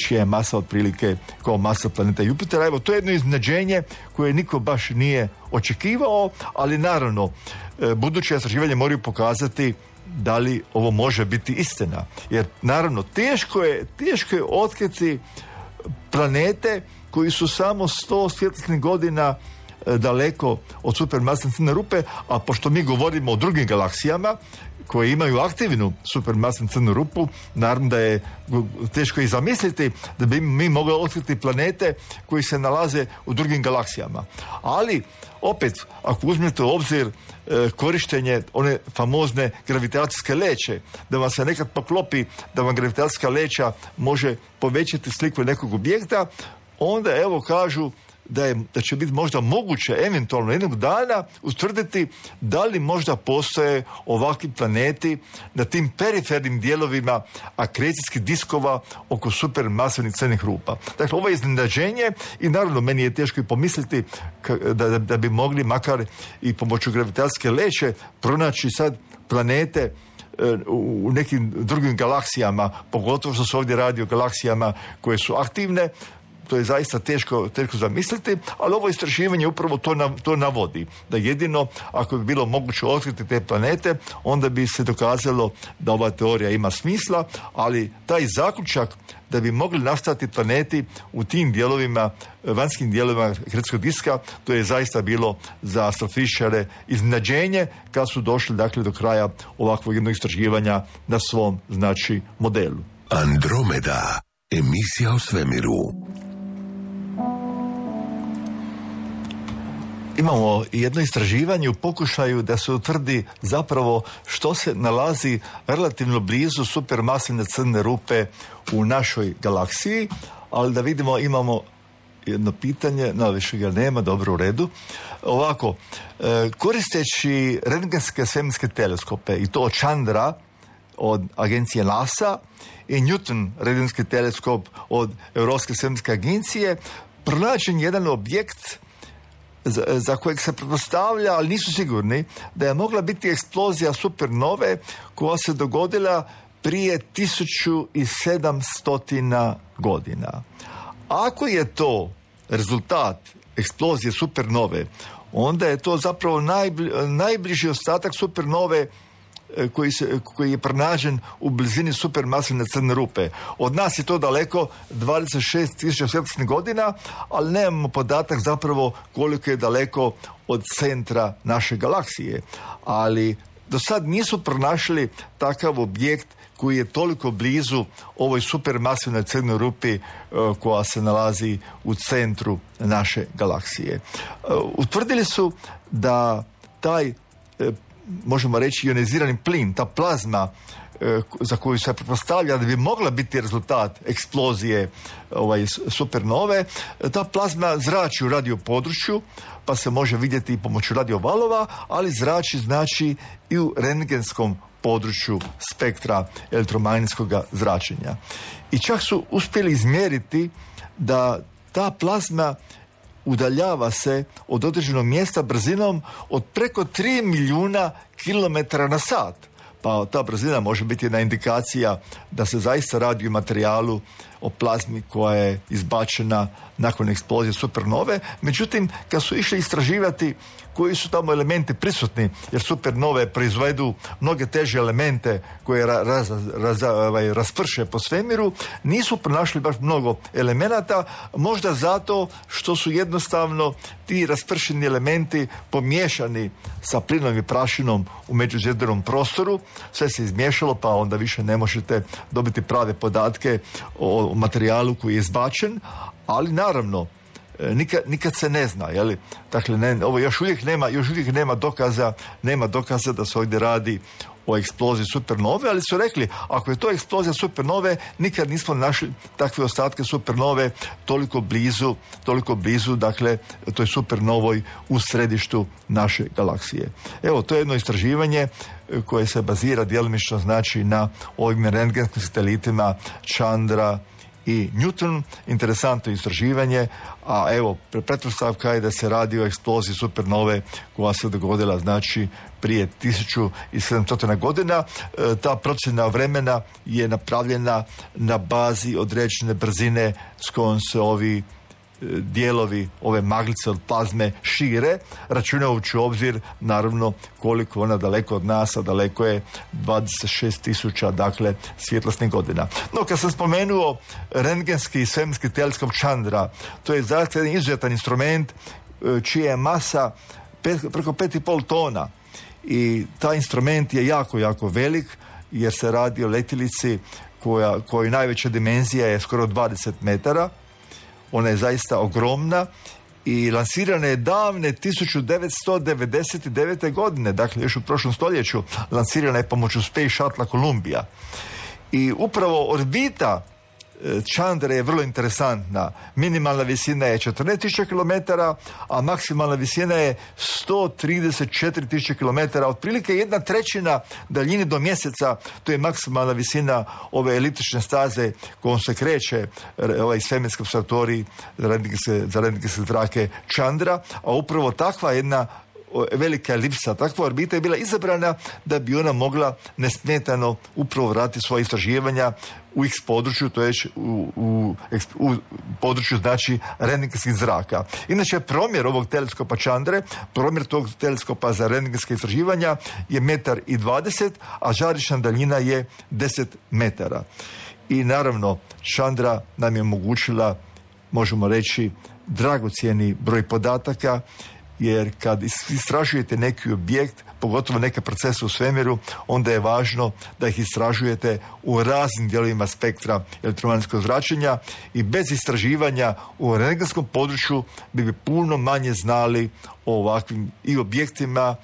čija je masa otprilike kao masa planeta Jupitera. Evo, to je jedno iznenađenje koje niko baš nije očekivao, ali naravno, buduće istraživanje moraju pokazati da li ovo može biti istina. Jer naravno, teško je, teško je otkriti planete koji su samo sto svjetlosnih godina daleko od supermasivne crne rupe, a pošto mi govorimo o drugim galaksijama koje imaju aktivnu supermasivnu crnu rupu, naravno da je teško i zamisliti da bi mi mogli otkriti planete koji se nalaze u drugim galaksijama. Ali, opet, ako uzmete u obzir e, korištenje one famozne gravitacijske leće, da vam se nekad poklopi da vam gravitacijska leća može povećati sliku nekog objekta, onda evo kažu da, je, da će biti možda moguće eventualno jednog dana utvrditi da li možda postoje ovakvi planeti na tim perifernim dijelovima akrecijskih diskova oko supermasivnih crnih rupa. Dakle, ovo je iznenađenje i naravno meni je teško i pomisliti da, da, da bi mogli makar i pomoću gravitacijske leće pronaći sad planete u nekim drugim galaksijama, pogotovo što se ovdje radi o galaksijama koje su aktivne. To je zaista teško, teško zamisliti, ali ovo istraživanje upravo to, na, to navodi. Da jedino, ako bi bilo moguće otkriti te planete, onda bi se dokazalo da ova teorija ima smisla, ali taj zaključak da bi mogli nastati planeti u tim dijelovima, vanjskim dijelovima akrecijskog diska, to je zaista bilo za astrofizičare iznenađenje kad su došli, dakle, do kraja ovakvog jednog istraživanja na svom, znači, modelu. Andromeda, emisija o svemiru. Imamo jedno istraživanje u pokušaju da se utvrdi zapravo što se nalazi relativno blizu supermasivne crne rupe u našoj galaksiji, ali da vidimo, imamo jedno pitanje, no više ga nema, dobro, u redu. Ovako, koristeći rentgenske svemirske teleskope, i to od Chandra, od agencije NASA, i Newton rentgenski teleskop od Europske svemirske agencije, pronađen jedan objekt za, za kojeg se pretpostavlja, ali nisu sigurni, da je mogla biti eksplozija supernove koja se dogodila prije tisuću sedamsto godina. Ako je to rezultat eksplozije supernove, onda je to zapravo najbli, najbliži ostatak supernove koji, se, koji je pronađen u blizini supermasivne crne rupe. Od nas je to daleko, dvadeset šest tisuća svjetlosnih godina, ali nemamo podatak zapravo koliko je daleko od centra naše galaksije. Ali do sad nisu pronašli takav objekt koji je toliko blizu ovoj supermasivnoj crnoj rupi uh, koja se nalazi u centru naše galaksije. Uh, utvrdili su da taj uh, možemo reći ionizirani plin, ta plazma za koju se pretpostavlja da bi mogla biti rezultat eksplozije ovaj, supernove, ta plazma zrači u radio području, pa se može vidjeti i pomoću radiovalova, ali zrači znači i u rentgenskom području spektra elektromagnetskog zračenja. I čak su uspjeli izmjeriti da ta plazma udaljava se od određenog mjesta brzinom od preko tri milijuna kilometara na sat. Pa ta brzina može biti jedna indikacija da se zaista radi o materijalu, o plazmi koja je izbačena nakon eksplozije supernove. Međutim, kad su išli istraživati koji su tamo elementi prisutni, jer supernove proizvedu mnoge teže elemente koje ra, raz, raz, ovaj, rasprše po svemiru, nisu pronašli baš mnogo elemenata, možda zato što su jednostavno ti raspršeni elementi pomiješani sa plinom i prašinom u međuzemnom prostoru, sve se izmiješalo, pa onda više ne možete dobiti prave podatke o materijalu koji je izbačen, ali naravno Nikad, nikad se ne zna, je li? Dakle, ne, ovo još uvijek nema, još uvijek nema dokaza, nema dokaza da se ovdje radi o eksploziji supernove, ali su rekli, ako je to eksplozija supernove, nikad nismo našli takve ostatke supernove toliko blizu, toliko blizu, dakle, toj supernovoj u središtu naše galaksije. Evo, to je jedno istraživanje koje se bazira djelomično znači na ovim rentgenskim satelitima Chandra i Newton. Interesantno istraživanje, a evo, pretpostavka je da se radi o eksploziji supernove koja se dogodila znači prije tisuću sedamsto godina. E, ta procjena vremena je napravljena na bazi određene brzine s kojom se ovi dijelovi ove maglice od plazme šire, računajući u obzir naravno koliko ona daleko od nas, a daleko je dvadeset šest tisuća, dakle, svjetlosnih godina. No, kad sam spomenuo rentgenski i svemirski teleskop Chandra, to je zaista jedan izuzetan instrument čija je masa pet, preko pet i pol tona i taj instrument je jako, jako velik jer se radi o letjelici koja, kojoj najveća dimenzija je skoro dvadeset metara. Ona je zaista ogromna i lansirana je davne tisuću devetsto devedeset devete. godine, dakle još u prošlom stoljeću, lansirana je pomoću Space Shuttle Columbia. I upravo orbita Chandra je vrlo interesantna. Minimalna visina je četrnaest tisuća kilometara, a maksimalna visina je sto trideset četiri tisuće kilometara. Otprilike jedna trećina daljine do mjeseca, to je maksimalna visina ove eliptične staze kojom se kreće ovaj svemirski observatorij za rentgenske zrake Chandra, a upravo takva jedna velika elipsa, takva orbita je bila izabrana da bi ona mogla nesmetano upravo vratiti svoje istraživanja u X području, to je u, u, u području znači rentgenskih zraka. Inače, promjer ovog teleskopa Chandre, promjer tog teleskopa za rentgenske istraživanja je metar i dvadeset, a žarišna daljina je deset metara. I naravno, Chandra nam je omogućila, možemo reći, dragocjeni broj podataka, jer kad istražujete neki objekt, pogotovo neke procese u svemiru, onda je važno da ih istražujete u raznim dijelovima spektra elektromagnetskog zračenja i bez istraživanja u rentgenskom području bi bi puno manje znali o ovakvim i objektima,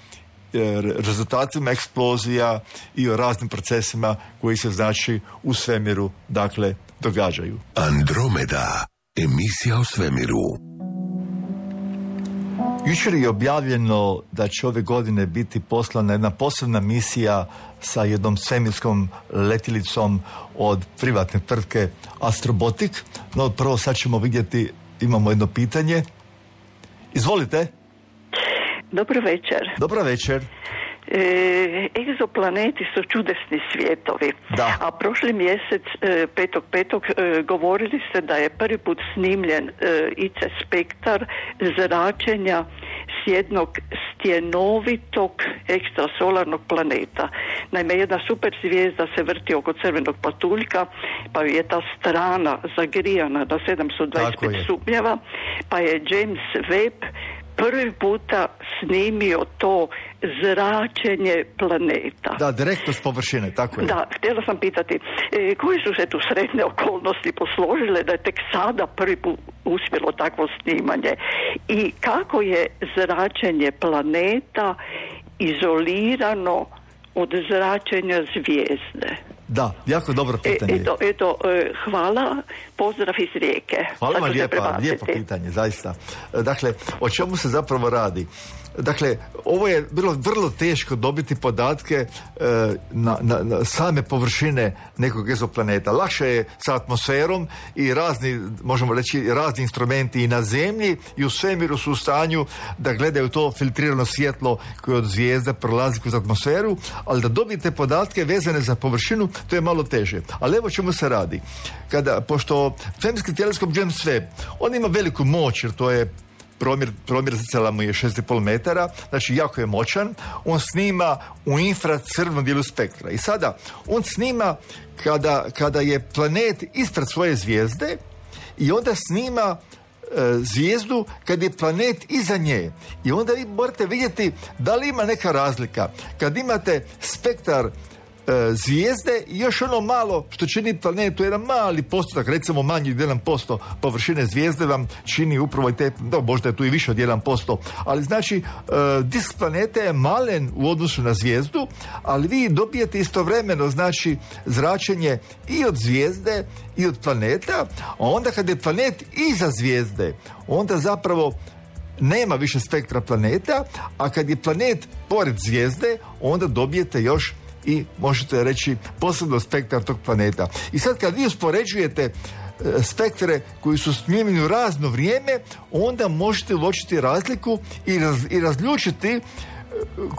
rezultatima eksplozija i o raznim procesima koji se znači u svemiru, dakle, događaju. Andromeda, emisija o svemiru. Jučer je objavljeno da će ove godine biti poslana jedna posebna misija sa jednom svemirskom letjelicom od privatne tvrtke Astrobotic. No, prvo sad ćemo vidjeti, imamo jedno pitanje. Izvolite. Dobro večer. Dobro večer. E, egzoplaneti su čudesni svijetovi, da. A prošli mjesec e, petog petog e, govorili ste da je prvi put snimljen e, I C spektar zračenja s jednog stjenovitog ekstrasolarnog planeta. Naime, jedna super zvijezda se vrti oko crvenog patuljka, pa je ta strana zagrijana na sedamsto dvadeset pet stupnjeva, pa je James Webb prvi puta snimio to zračenje planeta. Da, direktno s površine, tako je. Da, htjela sam pitati, e, koje su se tu sretne okolnosti posložile da je tek sada prvi put uspjelo takvo snimanje? I kako je zračenje planeta izolirano od zračenja zvijezde? Da, jako dobro pitanje. E, eto, eto, hvala, pozdrav iz Rijeke. Hvala vam lijepa, lijepo pitanje, zaista. Dakle, o čemu se zapravo radi? Dakle, ovo je bilo vrlo teško dobiti podatke e, na, na, na same površine nekog egzoplaneta. Lakše je sa atmosferom i razni, možemo reći, razni instrumenti i na zemlji i u svemiru su u stanju da gledaju to filtrirano svjetlo koje od zvijezda prolazi kroz atmosferu, ali da dobijete podatke vezane za površinu, to je malo teže. Ali evo čemu se radi. Kada, pošto svemirski teleskop James Webb, on ima veliku moć, jer to je Promjer, promjer zrcala mu je šest i pol metara, znači jako je moćan. On snima u infracrvenom dijelu spektra. I sada, on snima kada, kada je planet ispred svoje zvijezde i onda snima e, zvijezdu kad je planet iza nje. I onda vi morate vidjeti da li ima neka razlika. Kad imate spektar zvijezde i još ono malo što čini planetu, jedan mali postotak, recimo manji od jedan posto površine zvijezde vam čini upravo i te, no, možda je tu i više od jedan posto, ali znači uh, disk planete je malen u odnosu na zvijezdu, ali vi dobijete istovremeno znači zračenje i od zvijezde i od planeta, a onda kad je planet iza zvijezde, onda zapravo nema više spektra planeta, a kad je planet pored zvijezde, onda dobijete još i možete reći posebno spektar tog planeta. I sad kad vi uspoređujete e, spektre koji su snimljeni u razno vrijeme, onda možete uočiti razliku i, raz, i razlučiti e,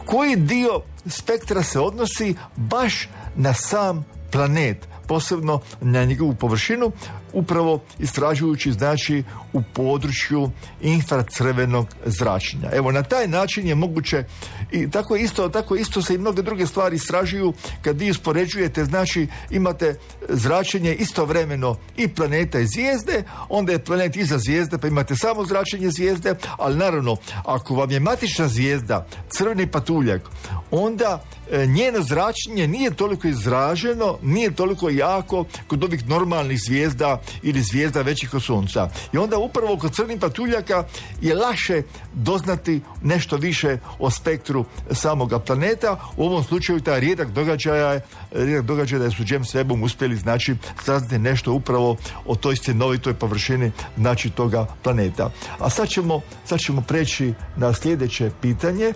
koji dio spektra se odnosi baš na sam planet, posebno na njegovu površinu, upravo istražujući znači u području infracrvenog zračenja. Evo, na taj način je moguće i tako isto, tako isto se i mnoge druge stvari istražuju kad vi uspoređujete, znači imate zračenje istovremeno i planeta i zvijezde, onda je planet iza zvijezde pa imate samo zračenje zvijezde, ali naravno ako vam je matična zvijezda crveni patuljak, onda e, njeno zračenje nije toliko izraženo, nije toliko jako kod ovih normalnih zvijezda ili zvijezda većih od Sunca. I onda upravo kod crnih patuljaka je lakše doznati nešto više o spektru samoga planeta. U ovom slučaju taj rijedak događaj je rijedak događaj da su James Webbom uspjeli znači saznati nešto upravo o toj stjenovitoj površini znači toga planeta. A sad ćemo, sad ćemo preći na sljedeće pitanje.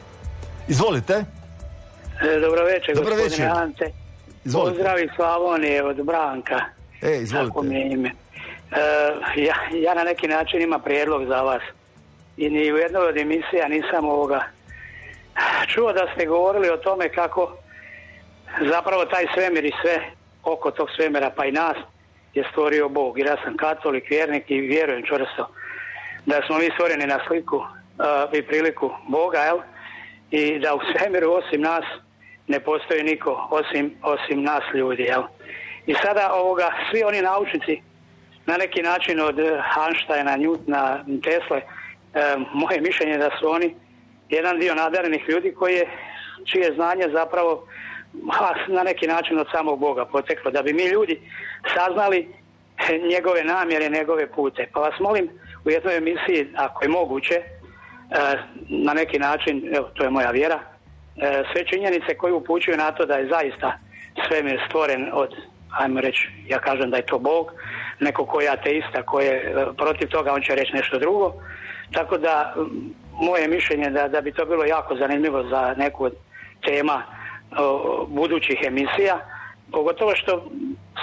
Izvolite. Dobro večer, Dobro gospodine večer. Ante. Izvolite. Pozdrav iz Slavonije od Branka. E, izvolite. Tako mi je ime. E, ja, ja na neki način imam prijedlog za vas. I ni u jednoj od emisija nisam ovoga čuo da ste govorili o tome kako zapravo taj svemir i sve oko tog svemira pa i nas je stvorio Bog. Jer ja sam katolik, vjernik i vjerujem čvrsto da smo mi stvoreni na sliku uh, i priliku Boga, jel? I da u svemiru osim nas ne postoji niko osim, osim nas ljudi, jel? I sada ovoga, svi oni naučnici na neki način od Einsteina, Newtona, Tesle, e, moje mišljenje je da su oni jedan dio nadarenih ljudi koji je, čije znanje zapravo na neki način od samog Boga poteklo, da bi mi ljudi saznali njegove namjere, njegove pute. Pa vas molim u jednoj emisiji, ako je moguće, e, na neki način, evo, to je moja vjera, e, sve činjenice koje upućuju na to da je zaista svemir stvoren od, ajmo reći, ja kažem da je to Bog, neko koji je ateista, koji je protiv toga, on će reći nešto drugo. Tako da, moje mišljenje da, da bi to bilo jako zanimljivo za neku od tema o, budućih emisija, pogotovo što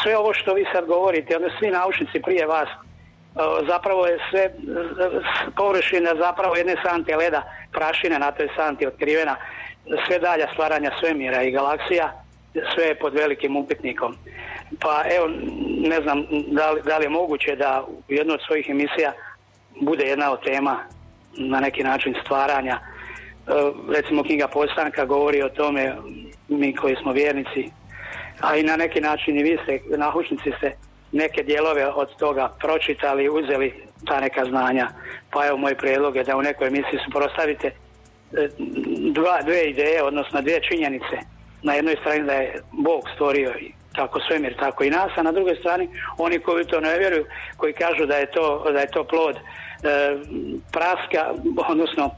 sve ovo što vi sad govorite, onda svi naučnici prije vas, o, zapravo je sve površina zapravo jedne sante leda, prašine na toj santi otkrivena, sve dalja stvaranja svemira i galaksija, sve je pod velikim upitnikom. Pa evo, ne znam da li, da li je moguće da u jednoj od svojih emisija bude jedna od tema na neki način stvaranja. E, recimo knjiga Postanka govori o tome, mi koji smo vjernici, a i na neki način i vi ste, naučnici ste neke dijelove od toga pročitali, uzeli ta neka znanja. Pa evo, moj prijedlog je da u nekoj emisiji suprotstavite dva, dvije ideje, odnosno dvije činjenice. Na jednoj strani da je Bog stvorio tako svemir, tako i nas, a na drugoj strani oni koji to ne vjeruju, koji kažu da je to, da je to plod e, praska, odnosno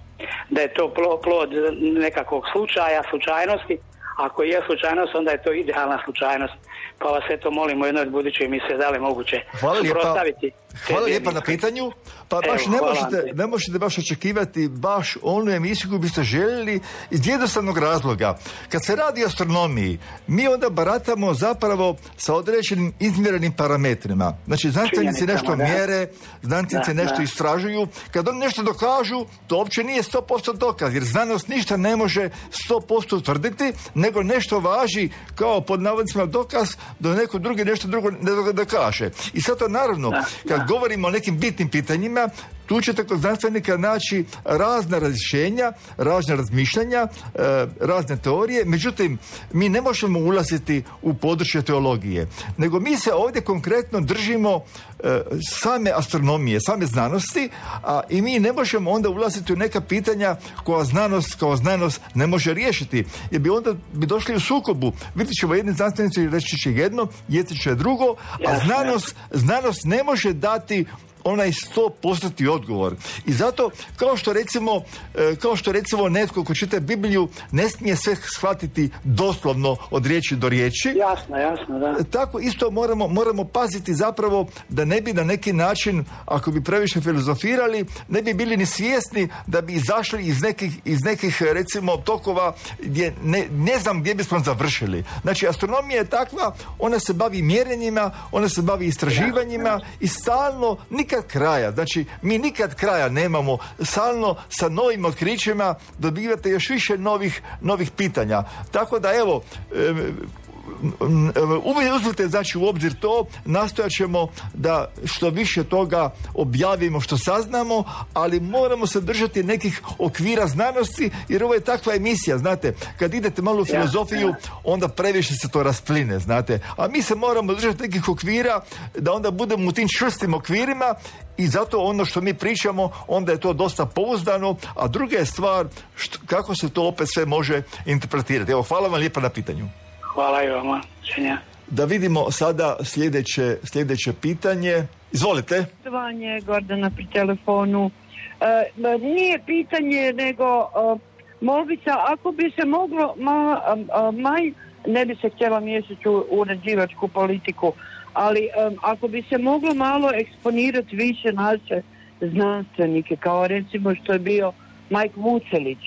da je to plod nekakvog slučaja, slučajnosti, ako je slučajnost, onda je to idealna slučajnost. Pa vas eto molim u jednoj budućoj emisiji da li moguće suprotstaviti. Hvala lijepa na pitanju. Pa baš Evo, ne, možete, ne možete baš očekivati baš onu emisiju koju biste željeli iz jednostavnog razloga. Kad se radi o astronomiji, mi onda baratamo zapravo sa određenim izmjerenim parametrima. Znači, znanstvenici nešto da. mjere, znanstvenici da, nešto da. istražuju. Kad oni nešto dokažu, to uopće nije sto posto dokaz, jer znanost ništa ne može sto posto utvrditi, nego nešto važi kao pod navodnicima dokaz, da neko drugi nešto drugo ne dokaže. I sad to naravno, da, kad da. govorimo o nekim bitnim pitanjima, tu ćete kod znanstvenika naći razna razrješenja, razna razmišljanja, razne teorije, međutim, mi ne možemo ulaziti u područje teologije, nego mi se ovdje konkretno držimo same astronomije, same znanosti, a i mi ne možemo onda ulaziti u neka pitanja koja znanost kao znanost ne može riješiti, jer bi onda bi došli u sukobu. Vidjet ćemo jedni znanstvenici reći će jedno, jedni će drugo, a znanost, znanost ne može dati onaj sto postotni odgovor. I zato, kao što recimo, kao što recimo netko ko čita Bibliju ne smije sve shvatiti doslovno od riječi do riječi. Jasno, jasno, da. Tako isto moramo, moramo paziti zapravo da ne bi na neki način, ako bi previše filozofirali, ne bi bili ni svjesni da bi izašli iz nekih, iz nekih recimo tokova gdje ne, ne znam gdje bismo završili. Znači, astronomija je takva, ona se bavi mjerenjima, ona se bavi istraživanjima ja, ja. i stalno nikad kraja. Znači, mi nikad kraja nemamo. Stalno sa novim otkrićima dobivate još više novih, novih pitanja. Tako da, evo, uzmite znači u obzir to, nastojat ćemo da što više toga objavimo što saznamo, ali moramo se držati nekih okvira znanosti, jer ovo je takva emisija, znate, kad idete malo u filozofiju, onda previše se to raspline, znate, a mi se moramo držati nekih okvira da onda budemo u tim čvrstim okvirima i zato ono što mi pričamo, onda je to dosta pouzdano, a druga je stvar što, kako se to opet sve može interpretirati. Evo, hvala vam lijepa na pitanju. Hvala i vama. Da vidimo sada sljedeće, sljedeće pitanje. Izvolite. Poštovanje, Gordana pri telefonu. E, nije pitanje, nego e, molbica, ako bi se moglo, ma, a, maj, ne bi se htjela miješati u uređivačku politiku, ali e, ako bi se moglo malo eksponirati više naše znanstvenike, kao recimo što je bio Majk Vucelić,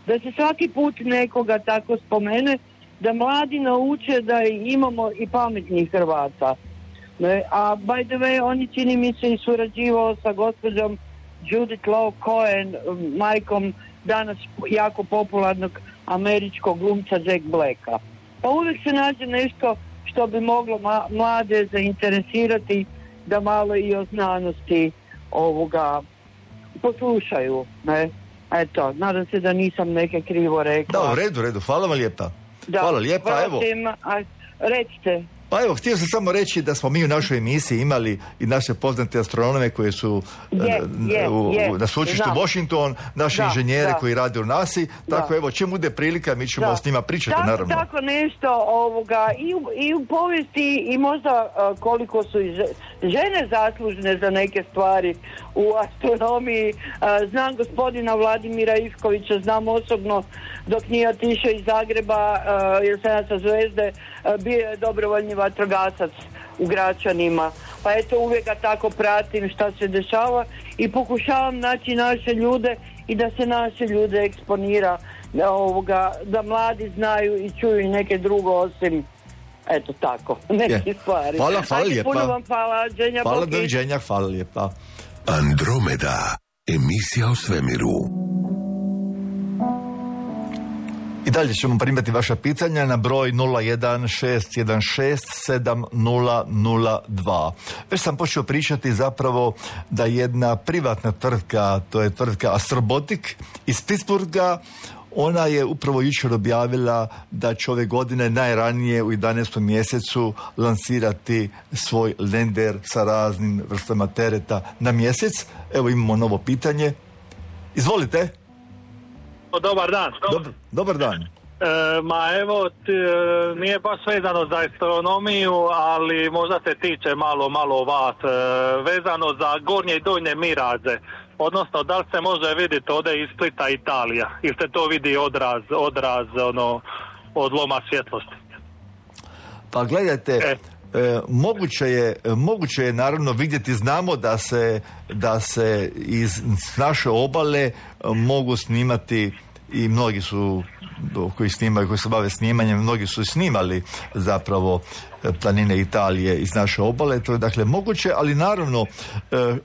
da se svaki put nekoga tako spomene, da mladi nauče da imamo i pametnih Hrvata. A by the way, on je, čini mi se, i surađivao sa gospođom Judith Law Cohen, majkom danas jako popularnog američkog glumca Jack Blacka. Pa uvijek se nađe nešto što bi moglo ma- mlade zainteresirati da malo i o znanosti ovoga poslušaju. Ne? Eto, nadam se da nisam neke krivo rekla. Da, u redu, redu. Hvala vam lijepa. Da, hvala lijepa, evo. A, recite. Pa evo, htio sam samo reći da smo mi u našoj emisiji imali i naše poznate astronome koji su je, je, u, je, na sveučilištu Washington, naši da, inženjere da. koji rade u nasi, tako da. evo, čim bude prilika, mi ćemo da. s njima pričati, tako, naravno. Tako nešto ovoga, i, u, i u povijesti i možda uh, koliko su i žene zaslužne za neke stvari u astronomiji. Uh, znam gospodina Vladimira Ivkovića, znam osobno dok nije otišao iz Zagreba, uh, jer sam ja sa Zvezde, uh, bio je dobrovoljni vatrogasac u Gračanima. Pa eto, uvijek ga tako pratim šta se dešava i pokušavam naći naše ljude i da se naše ljude eksponira, da, ovoga, da mladi znaju i čuju i neke drugo osim eto tako, neke stvari. Hvala, hvala Ajde, lijepa. Puno vam hvala, Dženja Hvala, doviđenja, hvala lijepa. Andromeda, emisija o svemiru. I dalje ćemo primati vaša pitanja na broj nula jedan šest jedan šest sedam nula nula dva. Već sam počeo pričati zapravo da jedna privatna tvrtka, to je tvrtka Astrobotic iz Pittsburgha, ona je upravo jučer objavila da će ove godine najranije u jedanaestom mjesecu lansirati svoj lender sa raznim vrstama tereta na mjesec. Evo imamo novo pitanje. Izvolite. Dobar dan. Dobar, dobar dan. E, ma evo, t, nije baš vezano za astronomiju, ali možda se tiče malo, malo vas. E, vezano za gornje i donje miraze. Odnosno, da li se može vidjeti ovdje iz Splita Italija? Ili se to vidi odraz, odraz ono, od loma svjetlosti. Pa gledajte, E. E, moguće je, moguće je naravno vidjeti, znamo da se, da se iz naše obale mogu snimati i mnogi su koji snimaju, koji se bave snimanjem, mnogi su snimali zapravo planine Italije iz naše obale, to je dakle moguće, ali naravno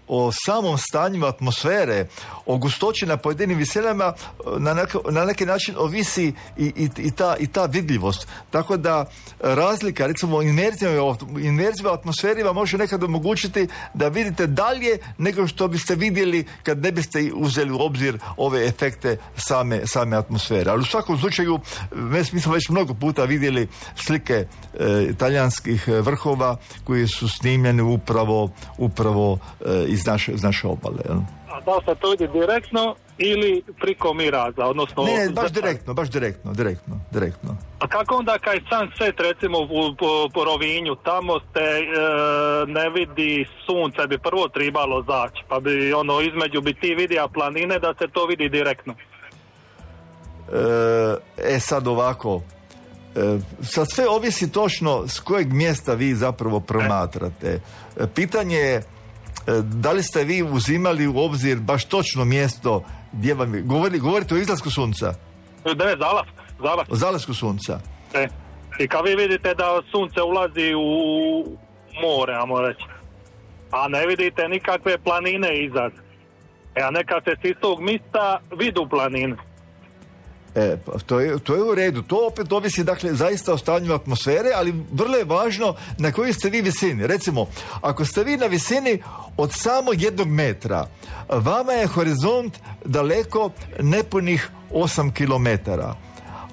o samom stanju atmosfere, o gustoći na pojedinim visinama na, neke, na neki način ovisi i, i, i, ta, i ta vidljivost. Tako da razlika, recimo inverzija u atmosferi vam može nekad omogućiti da vidite dalje nego što biste vidjeli kad ne biste uzeli u obzir ove efekte same, same atmosfere. Ali u svakom slučaju, mi smo već mnogo puta vidjeli slike e, italijanskih vrhova koji su snimljeni upravo, upravo e, iz, naše, iz naše obale. Jel? A da se to ide direktno ili priko miraza, odnosno... Ne, ne, baš direktno, baš direktno, direktno, direktno. A kako onda kaj sunset, recimo u po, po Rovinju, tamo ste e, ne vidi sunce, bi prvo trebalo zaći, pa bi ono između bi ti vidio planine da se to vidi direktno. E, e sad ovako, e, sad sve ovisi točno s kojeg mjesta vi zapravo promatrate. E, pitanje je da li ste vi uzimali u obzir baš točno mjesto gdje vam je, govori, govorite o izlasku sunca? Ne, zalask, zalask. O zalasku sunca. E, i kad vi vidite da sunce ulazi u more, ajmo reći, a ne vidite nikakve planine izad, e, a neka se s istog mjesta vidu planine. E, to je, to je u redu. To opet ovisi, dakle, zaista o stanju atmosfere, ali vrlo je važno na kojoj ste vi visini. Recimo, ako ste vi na visini od samo jednog metra, vama je horizont daleko nepunih osam kilometara.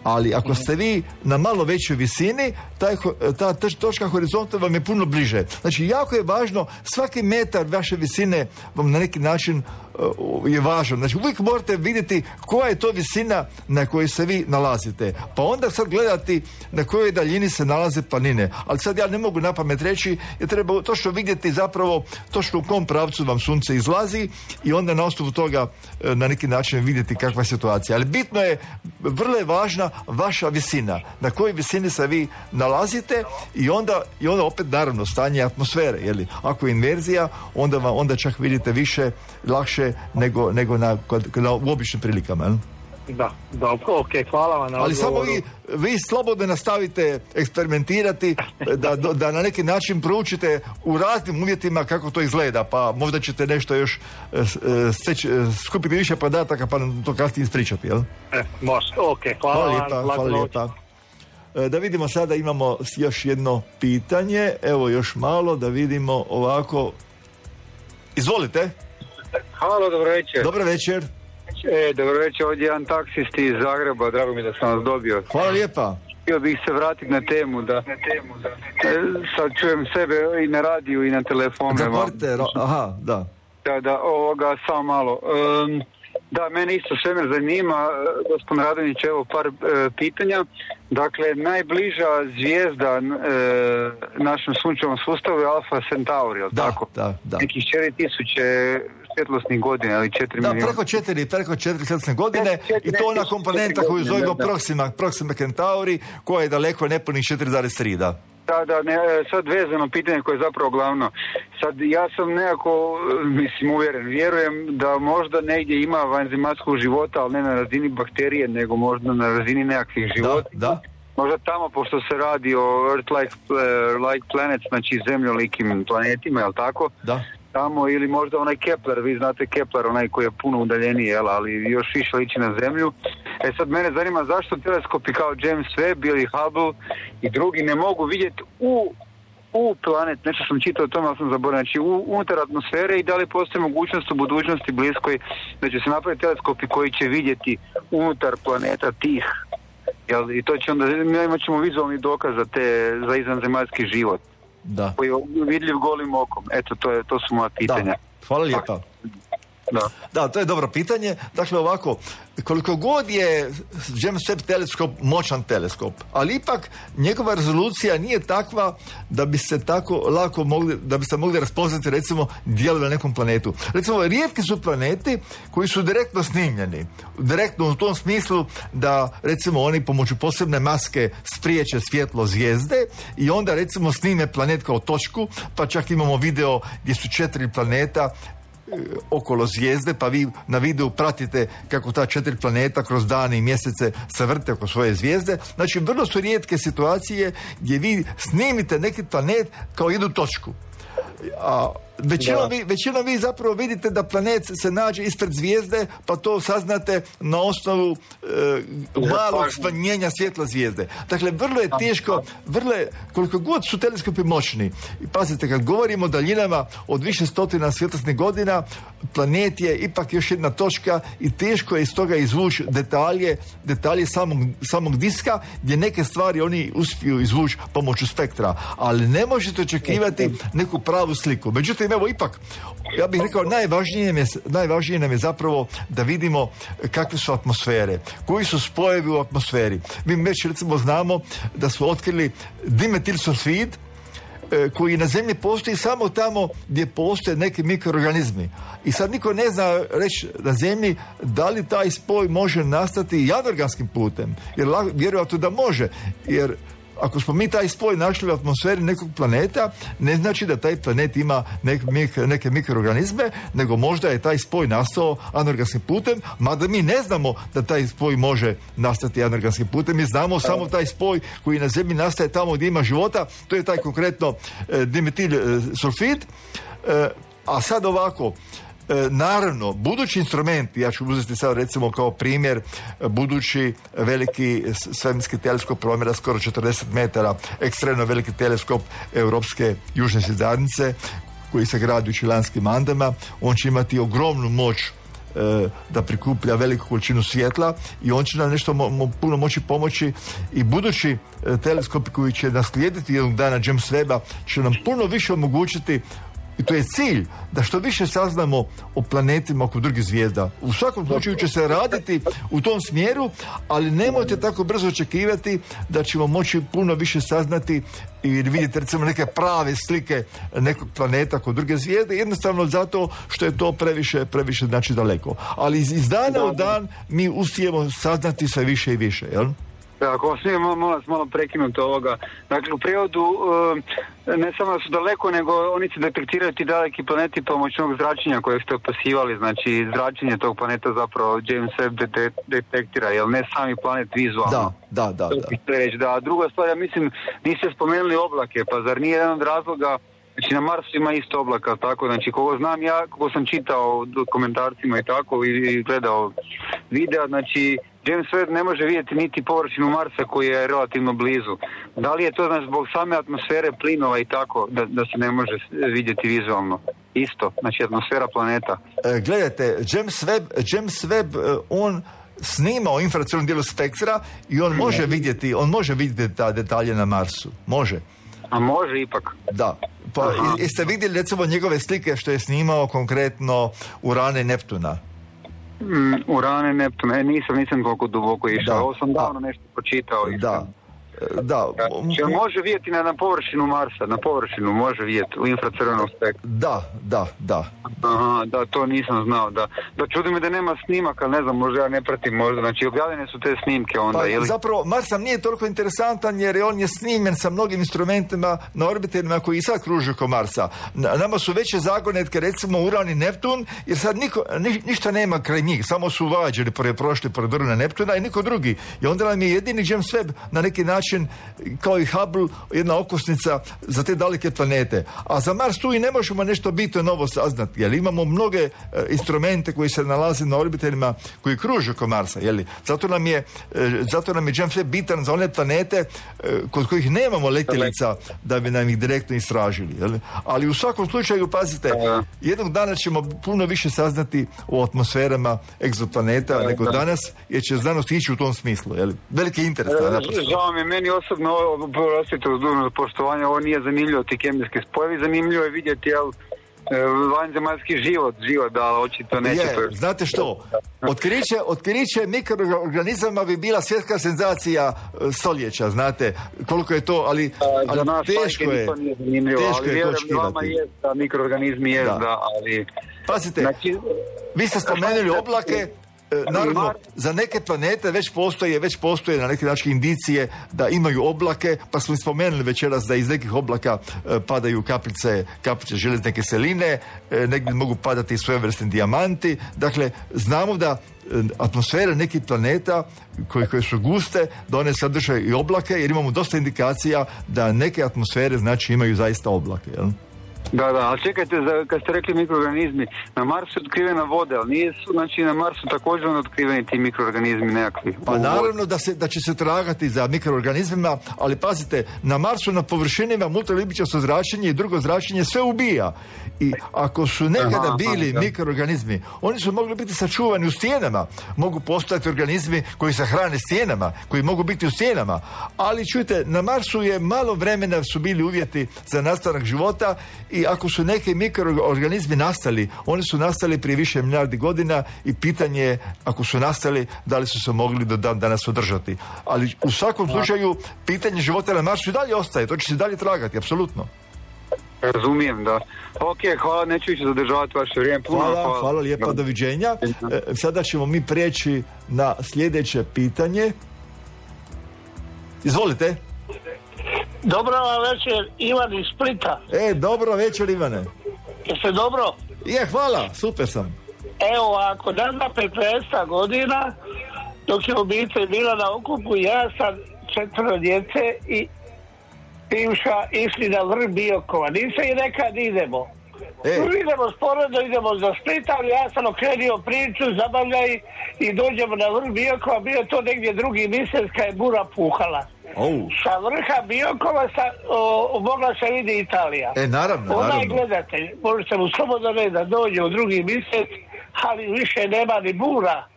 Ali ako ste vi na malo većoj visini, taj, ta točka horizonta vam je puno bliže. Znači, jako je važno, svaki metar vaše visine vam na neki način uh, je važan. Znači, uvijek morate vidjeti koja je to visina na kojoj se vi nalazite. Pa onda sad gledati na kojoj daljini se nalaze planine. Ali sad ja ne mogu na pamet reći, jer treba točno vidjeti zapravo točno u kom pravcu vam sunce izlazi i onda na osnovu toga uh, na neki način vidjeti kakva je situacija. Ali bitno je, vrlo je važna vaša visina, na kojoj visini se vi nalazite i onda, i onda opet naravno stanje atmosfere, jeli? Ako je inverzija, onda vam, onda čak vidite više, lakše nego, nego na, na, u običnim prilikama. Jel? Da, da, ok, hvala vam na Ali odgovoru. samo vi, vi slobodno nastavite eksperimentirati, da, da na neki način proučite u raznim uvjetima kako to izgleda, pa možda ćete nešto još steći, skupiti više podataka pa nam to kasnije ispričati, jel? E, može, ok, hvala, hvala vam. lijepa, hvala lijepa. Da vidimo sada, imamo još jedno pitanje, evo još malo, da vidimo ovako. Izvolite. Halo, dobro večer. Dobro večer. E, dobro večer, ovdje jedan taksist iz Zagreba, drago mi da sam vas dobio. Hvala lijepa. Htio bih se vratiti na temu, da, na temu, da. E, sad čujem sebe i na radiju i na telefonu. Zatvorite, aha, da. Da, da, ovoga, samo malo. Um, da, mene isto svemir zanima, gospodin Radonjić, evo par e, pitanja. Dakle, najbliža zvijezda e, našem sunčevom sustavu je Alfa Centauri, je li da, tako? Da, da. Nekih četiri tisuće svjetlosnih godina, ali četiri da, milijuna. preko četiri, preko četiri svjetlosne godine i to ona komponenta koju zovemo Proxima, Proxima Centauri, koja je daleko nepunih četiri zarez tri, da. Da, da, ne, sad vezano pitanje koje je zapravo glavno. Sad ja sam nekako, mislim, uvjeren, vjerujem da možda negdje ima vanzematsku života, ali ne na razini bakterije, nego možda na razini nekakvih života. Da, da. Možda tamo, pošto se radi o Earth-like like planets, znači zemljolikim planetima, jel tako? Da. Tamo, ili možda onaj Kepler, vi znate Kepler, onaj koji je puno udaljeniji, jel, ali još više liči na Zemlju. E sad mene zanima zašto teleskopi kao James Webb ili Hubble i drugi ne mogu vidjeti u, u planet, nešto sam čitao o tome, ali sam zaboravio, znači u, unutar atmosfere i da li postoji mogućnost u budućnosti bliskoj da će se napraviti teleskopi koji će vidjeti unutar planeta tih, jel, i to će onda, imat ćemo vizualni dokaz za, te, za izvanzemaljski život. Da. Koji je vidljiv golim okom. Eto, to, je, to su moja pitanja. Da. Hvala lijepa. Da. Da, to je dobro pitanje. Dakle, ovako, koliko god je James Webb teleskop moćan teleskop, ali ipak njegova rezolucija nije takva da bi se tako lako mogli, da bi se mogli raspoznati recimo dijelove na nekom planetu. Recimo, rijetki su planeti koji su direktno snimljeni. Direktno u tom smislu da recimo oni pomoću posebne maske spriječe svjetlo zvijezde i onda recimo snime planet kao točku, pa čak imamo video gdje su četiri planeta okolo zvijezde, pa vi na videu pratite kako ta četiri planeta kroz dane i mjesece se vrte oko svoje zvijezde. Znači, vrlo su rijetke situacije gdje vi snimite neki planet kao jednu točku. A većinom vi, većinom vi zapravo vidite da planet se nađe ispred zvijezde, pa to saznate na osnovu e, malog smanjenja svjetla zvijezde. Dakle, vrlo je teško, vrlo je, koliko god su teleskopi moćni. I pazite, kad govorimo o daljinama od više stotina svjetlosnih godina, planet je ipak još jedna točka i teško je iz toga izvući detalje, detalje samog, samog diska, gdje neke stvari oni uspiju izvući pomoću spektra, ali ne možete očekivati neku pravu sliku. Međutim, evo ipak, ja bih rekao, najvažnije nam je, najvažnije nam je zapravo da vidimo kakve su atmosfere, koji su spojevi u atmosferi. Mi već recimo znamo da su otkrili dimetilsulfid, koji na zemlji postoji samo tamo gdje postoje neki mikroorganizmi. I sad niko ne zna reći na zemlji da li taj spoj može nastati i anorganskim putem. Jer vjerojatno da može. Jer ako smo mi taj spoj našli u atmosferi nekog planeta, ne znači da taj planet ima neke, neke mikroorganizme, nego možda je taj spoj nastao anorganskim putem, mada mi ne znamo da taj spoj može nastati anorganskim putem. Mi znamo samo taj spoj koji na zemlji nastaje tamo gdje ima života, to je taj konkretno e, dimetil e, sulfid. E, a sad ovako, E, naravno, budući instrumenti, ja ću uzeti sad recimo kao primjer budući veliki svemirski teleskop promjera skoro četrdeset metara, ekstremno veliki teleskop Europske južne svjezdanice koji se gradi u Čilanskim Andama. On će imati ogromnu moć e, da prikuplja veliku količinu svjetla i on će nam nešto mo, mo, puno moći pomoći i budući e, teleskopi koji će naslijediti jednog dana James Webba će nam puno više omogućiti. I to je cilj, da što više saznamo o planetima oko drugih zvijezda. U svakom slučaju će se raditi u tom smjeru, ali nemojte tako brzo očekivati da ćemo moći puno više saznati i vidjeti recimo neke prave slike nekog planeta kod druge zvijezde, jednostavno zato što je to previše, previše znači daleko. Ali iz, iz dana u dan mi uspijemo saznati sve više i više, jel? Ako vam smijem malo, malo prekinuti ovoga. Dakle, u prirodu ne samo da su daleko, nego oni se detektiraju ti daleki planeti pomoćnog zračenja kojeg ste opisivali. Znači, zračenje tog planeta zapravo James Webb detektira, jer ne sami planet vizualno. Da, da, da. Da. Reći, da. Druga stvar, ja mislim, niste spomenuli oblake, pa zar nije jedan od razloga. Znači, na Marsu ima isto oblaka, tako, znači, kogo znam ja, kogo sam čitao komentarcima i tako, i gledao videa, znači, James Webb ne može vidjeti niti površinu Marsa koji je relativno blizu. Da li je to, znači, zbog same atmosfere plinova i tako, da, da se ne može vidjeti vizualno? Isto, znači, atmosfera planeta. E, gledajte, James Webb, James Webb, on snima o infracrvenom dijelu spektra i on može vidjeti, on može vidjeti ta detalje na Marsu. Može. A može ipak. Da. Pa jeste vidjeli recimo njegove slike što je snimao konkretno Urana i Neptuna? Mm, Urana i Neptuna, e, nisam, nisam toliko duboko išao. Ovo sam davno nešto počitao. Da. Da. Če može vidjeti na, na površinu Marsa, na površinu može vidjeti u infracrvenom spektru. Da, da, da. Aha, da, to nisam znao, da. Da čudi me da nema snimaka, ne znam, možda ja ne pratim možda, znači objavljene su te snimke onda, pa, ili? Zapravo, Mars nam nije toliko interesantan jer on je snimljen sa mnogim instrumentima na orbiterima koji i sad kruže oko Marsa. Nama su veće zagonetke, recimo Uran i Neptun, jer sad niko, ni, ništa nema kraj njih, samo su vađeni, pored prošli pored Urana i Neptuna i niko drugi. I onda nam je jedini James Webb na neki način, kao i Hubble, jedna okosnica za te daleke planete. A za Mars tu i ne možemo nešto bitno novo saznati, jer imamo mnoge e, instrumente koji se nalaze na orbiterima koji kruže oko Marsa, jeli? Zato nam je, e, zato nam je James Webb bitan za one planete e, kod kojih nemamo letjelica da bi nam ih direktno istražili, jeli? Ali u svakom slučaju, pazite, jednog dana ćemo puno više saznati o atmosferama egzoplaneta uh, nego da. danas, jer će znanost ići u tom smislu, jeli? Veliki interes. Uh, Žao mi, meni osobno ovo, prosite uz dužno poštovanje, ovo nije zanimljivo, ti kemijski spojevi, zanimljivo je vidjeti, jel, vanzemaljski život, život, da, očito neće. Je, to... znate što, otkriće, otkriće mikroorganizama bi bila svjetska senzacija stoljeća, znate, koliko je to, ali, ali za nas teško je, teško ali je to očekivati. Je da mikroorganizmi je da. da, ali... Pazite, znači, vi ste spomenuli oblake. Naravno, za neke planete već postoje, već postoje na neki način indicije da imaju oblake, pa smo spomenuli večeras da iz nekih oblaka e, padaju kapljice, kapljice željezne kiseline, e, negdje mogu padati svojevrsni dijamanti. Dakle, znamo da e, atmosfere nekih planeta koje, koje su guste, da one sadržaju i oblake, jer imamo dosta indikacija da neke atmosfere znači imaju zaista oblake, jel? Da, da, ali čekajte, za, kad ste rekli mikroorganizmi, na Marsu je otkrivena voda, ali nije su, znači na Marsu također otkriveni ti mikroorganizmi nekakvi. Pa naravno da, se, da će se tragati za mikroorganizmima, ali pazite, na Marsu na površinima multiljubičasto zračenje i drugo zračenje sve ubija. I ako su nekada aha, bili aha, mikroorganizmi, oni su mogli biti sačuvani u stijenama. Mogu postojati organizmi koji se hrane stijenama, koji mogu biti u stijenama. Ali čujte, na Marsu je malo vremena su bili uvjeti za nastanak života i ako su neki mikroorganizmi nastali, oni su nastali prije više milijardi godina i pitanje je, ako su nastali, da li su se mogli do dan danas održati. Ali u svakom slučaju, pitanje života na Marsu i dalje ostaje, to će se dalje tragati, apsolutno. Razumijem, da. Ok, hvala, neću više zadržavati vaše vrijeme. Puno, hvala, hvala, hvala lijepa, da. Doviđenja. E, sada ćemo mi preći na sljedeće pitanje. Izvolite. Dobro vam večer, Ivan iz Splita. E, dobro večer, Ivane. Jeste dobro? Je, hvala, super sam. Evo, ako nazva petnaest godina, dok je obitelj bila na okupu, ja sam četvero djece i bivša išli na vrh Biokova. Nise i nekad idemo. E. Idemo sporedno, idemo za Split, ali ja sam okrenio priču, zabavljaj i dođemo na vrh Biokova. Bio to negdje drugi mjesec kad je bura puhala. Oh. Sa vrha Biokova sa, o, mogla se vidi Italija. E, naravno, Onaj naravno. gledatelj, možete mu slobodno reći da dođe u drugi mjesec, ali više nema ni bura.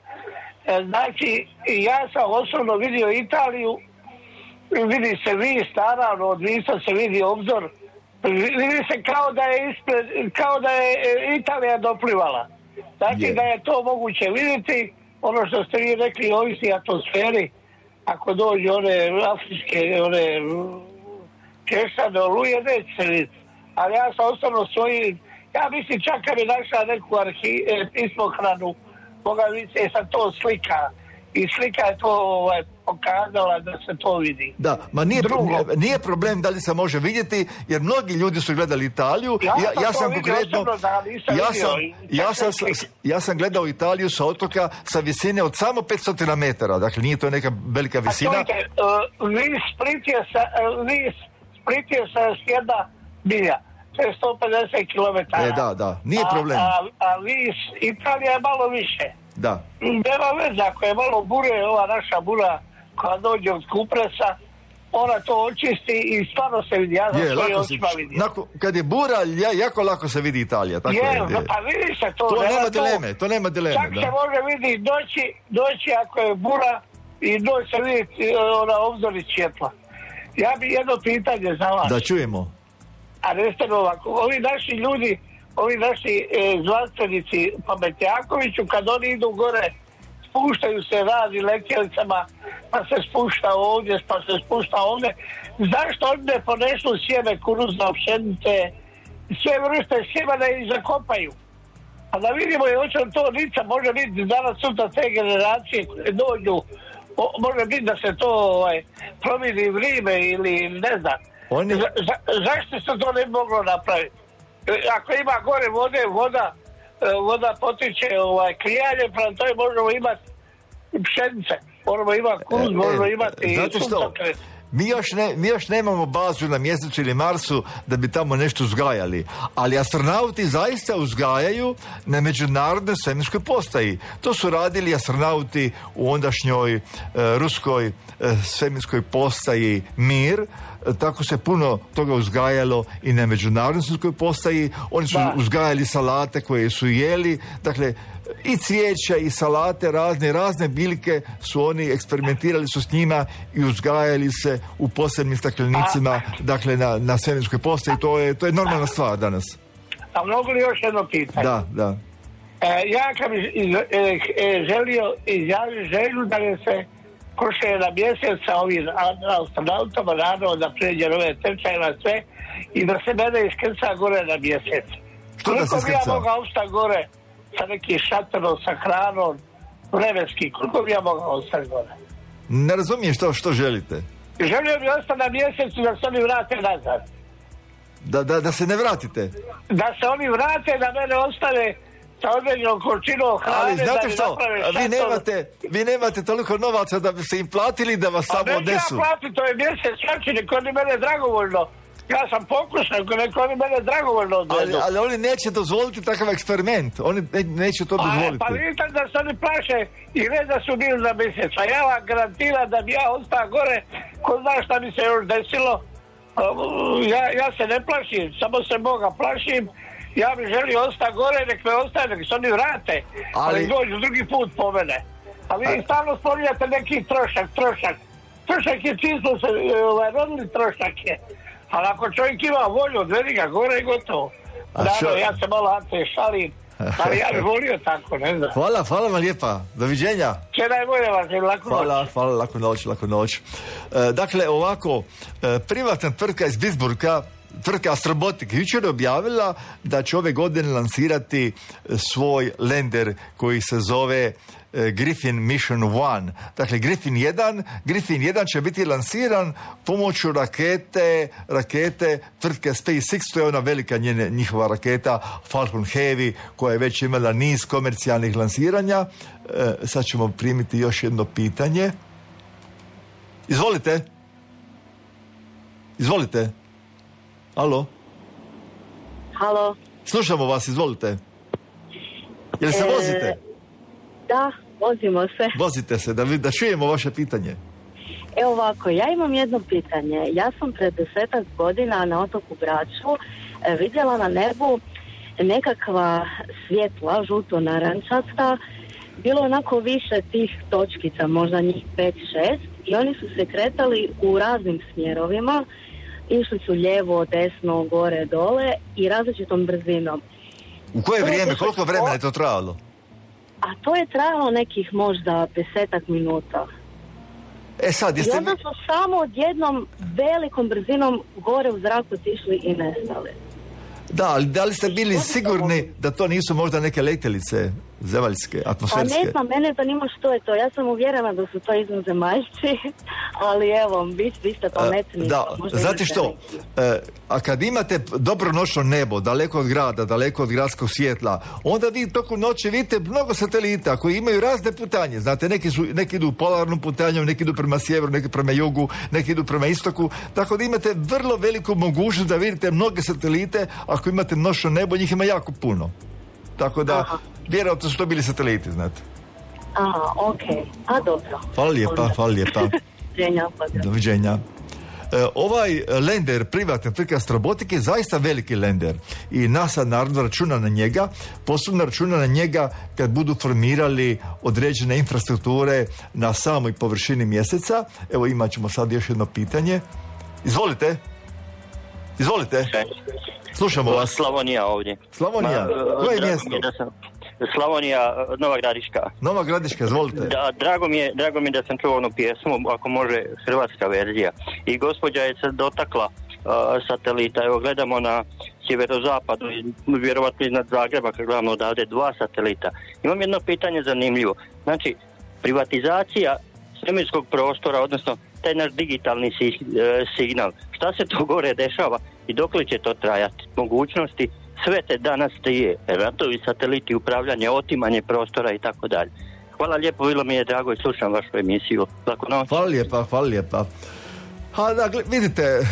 E, znači, ja sam osobno vidio Italiju, vidi se vis, naravno, od visa se vidi obzor, vidi se kao da je ispred, kao da je Italija doplivala. Znači, yeah. da je to moguće vidjeti, ono što ste vi rekli, ovisi atmosferi, ako dođe one afričke, one kešane oluje, neće se vidjeti. Ali ja sam ostavno svoji, ja mislim čak kad bi našla neku arhi, pismohranu, moga vidjeti sam to slika. I slika je to ovaj, pokazala da se to vidi. Da, ma nije, nije problem da li se može vidjeti, jer mnogi ljudi su gledali Italiju. Ja, ja, ja sam konkretno, da, ja sam, ja, sam, ja sam gledao Italiju sa otoka sa visine od samo petsto metara, dakle nije to neka velika visina. A čujte, uh, vi Split je sa, uh, vi Split je sa jedna milja, to je sto pedeset kilometara. E, da, da, nije problem. A, a, a vi Italija je malo više. Da. Nema veze, ako je malo bure, ova naša bura koja dođe od Kupresa, ona to očisti i stvarno se vidi. Ja je, lako se, nako, kad je bura, ja, jako lako se vidi Italija. Tako je, je, je. Pa vidi se to. To nema to, dileme, to nema dileme. Čak da. se može vidjeti doći, doći ako je bura i doći se vidjeti ona obzori svjetla. Ja bi jedno pitanje za vas. Da čujemo. A recite ovako, ovi naši ljudi, ovi naši e, znanstvenici pametnjakoviću, kad oni idu gore, spuštaju se razni letjelicama, pa se spušta ovdje, pa se spušta ovdje. Zašto oni ne ponesu sjeme kukuruzne pšenice, sve vrste sjemena i zakopaju? A da vidimo je hoće to lica, može biti danas sutra te generacije koje dođu, o, može biti da se to ovaj, promijeni vrijeme ili ne znam. Oni... Za, za, zašto se to ne moglo napraviti? Ako ima gore vode, voda, voda potiče ovaj, klijanje, prema toj možemo imati pšenice, možemo imati kuz, e, možemo imati znate što? Mi još, ne, mi još nemamo bazu na Mjesecu ili Marsu da bi tamo nešto uzgajali, ali astronauti zaista uzgajaju na međunarodnoj svemirskoj postaji. To su radili astronauti u ondašnjoj e, ruskoj e, svemirskoj postaji Mir. Tako se puno toga uzgajalo i na međunarodnoj svemirskoj postaji. Oni su da. uzgajali salate koje su jeli, dakle i cvijeća i salate razne, razne biljke su oni, eksperimentirali su s njima i uzgajali se u posebnim staklenicima, dakle na, na svemirskoj postaji. To je, to je normalna stvar danas. A mogu li još jedno pitanje? Da, da. E, ja kad bi iz, e, e, želio izjaviti želju da mi se koše na mjesec sa ovim astronautama, naravno da pređe ove tečaje na sve i da se mene iskrca gore na mjesec. Što da se iskrca? Koliko bi ja iskrca? mogao ostati gore sa nekim šatorom, sa hranom, vremenski, koliko bi ja mogao ostati gore? Ne razumijem što, što želite. Želio bi ostati na mjesecu da se oni vrate nazad. Da, da, da se ne vratite. Da se oni vrate, da mene ostane sa određenom količinom hrane. Ali znate da što, vi nemate, vi nemate toliko novaca da bi se im platili da vas samo odnesu. A neću ja platiti, to je mjesec čači, neko oni mene dragovoljno. Ja sam pokušao, neko oni mene dragovoljno odvedu. Ali, ali oni neće dozvoliti takav eksperiment. Oni ne, neće to dozvoliti. Pa vidite da se oni plaše i ne da su bili za mjesec. A ja vam garantiram da bi ja ostao gore, ko zna šta bi se još desilo. Ja, ja se ne plašim, samo se Boga plašim. Ja bih želio ostati gore, nek me ostaje, nek se oni vrate. Ali, ali dođu drugi put po mene. A vi a... stalno spominjate neki trošak, trošak. Trošak je čisto se, ovaj, rodili trošak je. Ali ako čovjek ima volju, odvedi ga gore i gotovo. Naravno, ja se malo ante šalim, ali ja bih volio tako, ne znam. Hvala, hvala vam lijepa. Doviđenja. Sve najbolje vas, laku noć. Hvala, hvala, laku noć, laku noć. E, dakle, ovako, e, privatna tvrtka iz Pittsburgha, tvrtka Astrobotic, jučer je objavila da će ove godine lansirati svoj lander koji se zove Griffin Mission one. Dakle, Griffin jedan, Griffin jedan će biti lansiran pomoću rakete, rakete tvrtke SpaceX, to je ona velika njene, njihova raketa Falcon Heavy, koja je već imala niz komercijalnih lansiranja. E, sad ćemo primiti još jedno pitanje. Izvolite. Izvolite. Alo? Halo? Slušamo vas, izvolite. Jel se e, vozite? Da, vozimo se. Vozite se, da, da čujemo vaše pitanje. Evo ovako, ja imam jedno pitanje. Ja sam pred desetak godina na otoku Braču e, vidjela na nebu nekakva svjetla, žuto-narančasta. Bilo onako više tih točkica, možda njih pet šest, i oni su se kretali u raznim smjerovima. Išli su lijevo, desno, gore, dole i različitom brzinom. U koje to vrijeme, koliko vremena je to trajalo? A to je trajalo nekih možda desetak minuta. E sad, jeste... I onda su samo odjednom velikom brzinom gore u zraku otišli i nestali. Da, ali da li ste bili sigurni da to nisu možda neke letjelice zemaljske, atmosferske? Pa ne znam, mene zanima što je to. Ja sam uvjerena da su to izvanzemaljci, ali evo, vi, vi ste pametni. Da, znate što, e, a kad imate dobro noćno nebo, daleko od grada, daleko od gradskog svjetla, onda vi tokom noći vidite mnogo satelita koji imaju razne putanje. Znate, neki, su, neki idu polarnom putanjom, neki idu prema sjeveru, neki prema jugu, neki idu prema istoku, tako da imate vrlo veliku mogućnost da vidite mnoge satelite. Ako imate noćno nebo, njih ima jako puno. Tako da, aha, vjerojatno su to bili sateliti, znate. Aha, okej. Okay. A, dobro. Hvala lijepa, hvala lijepa. Doviđenja. Doviđenja. E, ovaj lander, privatne tvrtke Astrobotic, je zaista veliki lander i NASA naravno računa na njega, posebno računa na njega kad budu formirali određene infrastrukture na samoj površini mjeseca. Evo, imat ćemo sad još jedno pitanje. Izvolite. Izvolite. Slušamo vas. Slavonija ovdje. Slavonija, koje je mjesto? Da sam, Slavonija, Nova Gradiška. Nova Gradiška, izvolite. Da, drago mi je, drago mi je da sam čuo onu pjesmu, ako može, hrvatska verzija. I gospođa je se dotakla uh, satelita. Evo, gledamo na sjeverozapadu, vjerovatno iznad Zagreba, kad gledamo odavde, dva satelita. Imam jedno pitanje zanimljivo. Znači, privatizacija svemirskog prostora, odnosno taj naš digitalni si, uh, signal, šta se to gore dešava i dokle će to trajati? Mogućnosti sve te danas trije, ratovi, sateliti, upravljanje, otimanje prostora i tako dalje. Hvala lijepo, bilo mi je drago i slušam vašu emisiju. Lako noć. Hvala lijepa, hvala lijepa. Ha, dakle, vidite, e,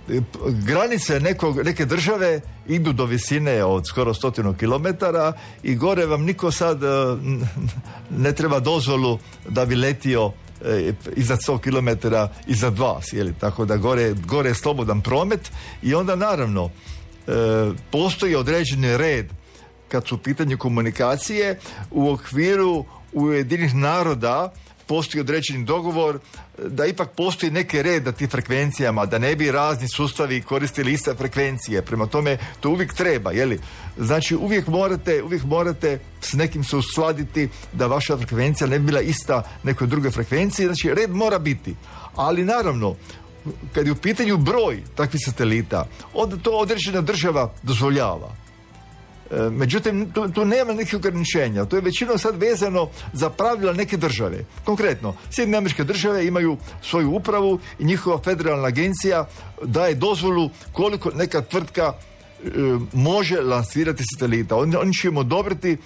e, granice nekog, neke države idu do visine od skoro stotinu kilometara i gore vam niko sad e, ne treba dozvolu da bi letio E, iznad sto kilometara iznad vas, jeli? Tako da gore, gore je slobodan promet i onda naravno e, postoji određeni red kad su u pitanju komunikacije u okviru Ujedinjenih naroda. postoji određeni dogovor, da ipak postoji neki red na tim frekvencijama, da ne bi razni sustavi koristili iste frekvencije. Prema tome, to uvijek treba, jeli? Znači, uvijek morate, uvijek morate s nekim se uskladiti da vaša frekvencija ne bi bila ista nekoj drugoj frekvenciji. Znači, red mora biti. Ali naravno, kad je u pitanju broj takvih satelita, onda to određena država dozvoljava. E, međutim, tu, tu nema nekih ograničenja. To je većinom sad vezano za pravila neke države. Konkretno, Sjedinjene Američke Države imaju svoju upravu i njihova federalna agencija daje dozvolu koliko neka tvrtka e, može lansirati satelita. Oni, oni će im odobriti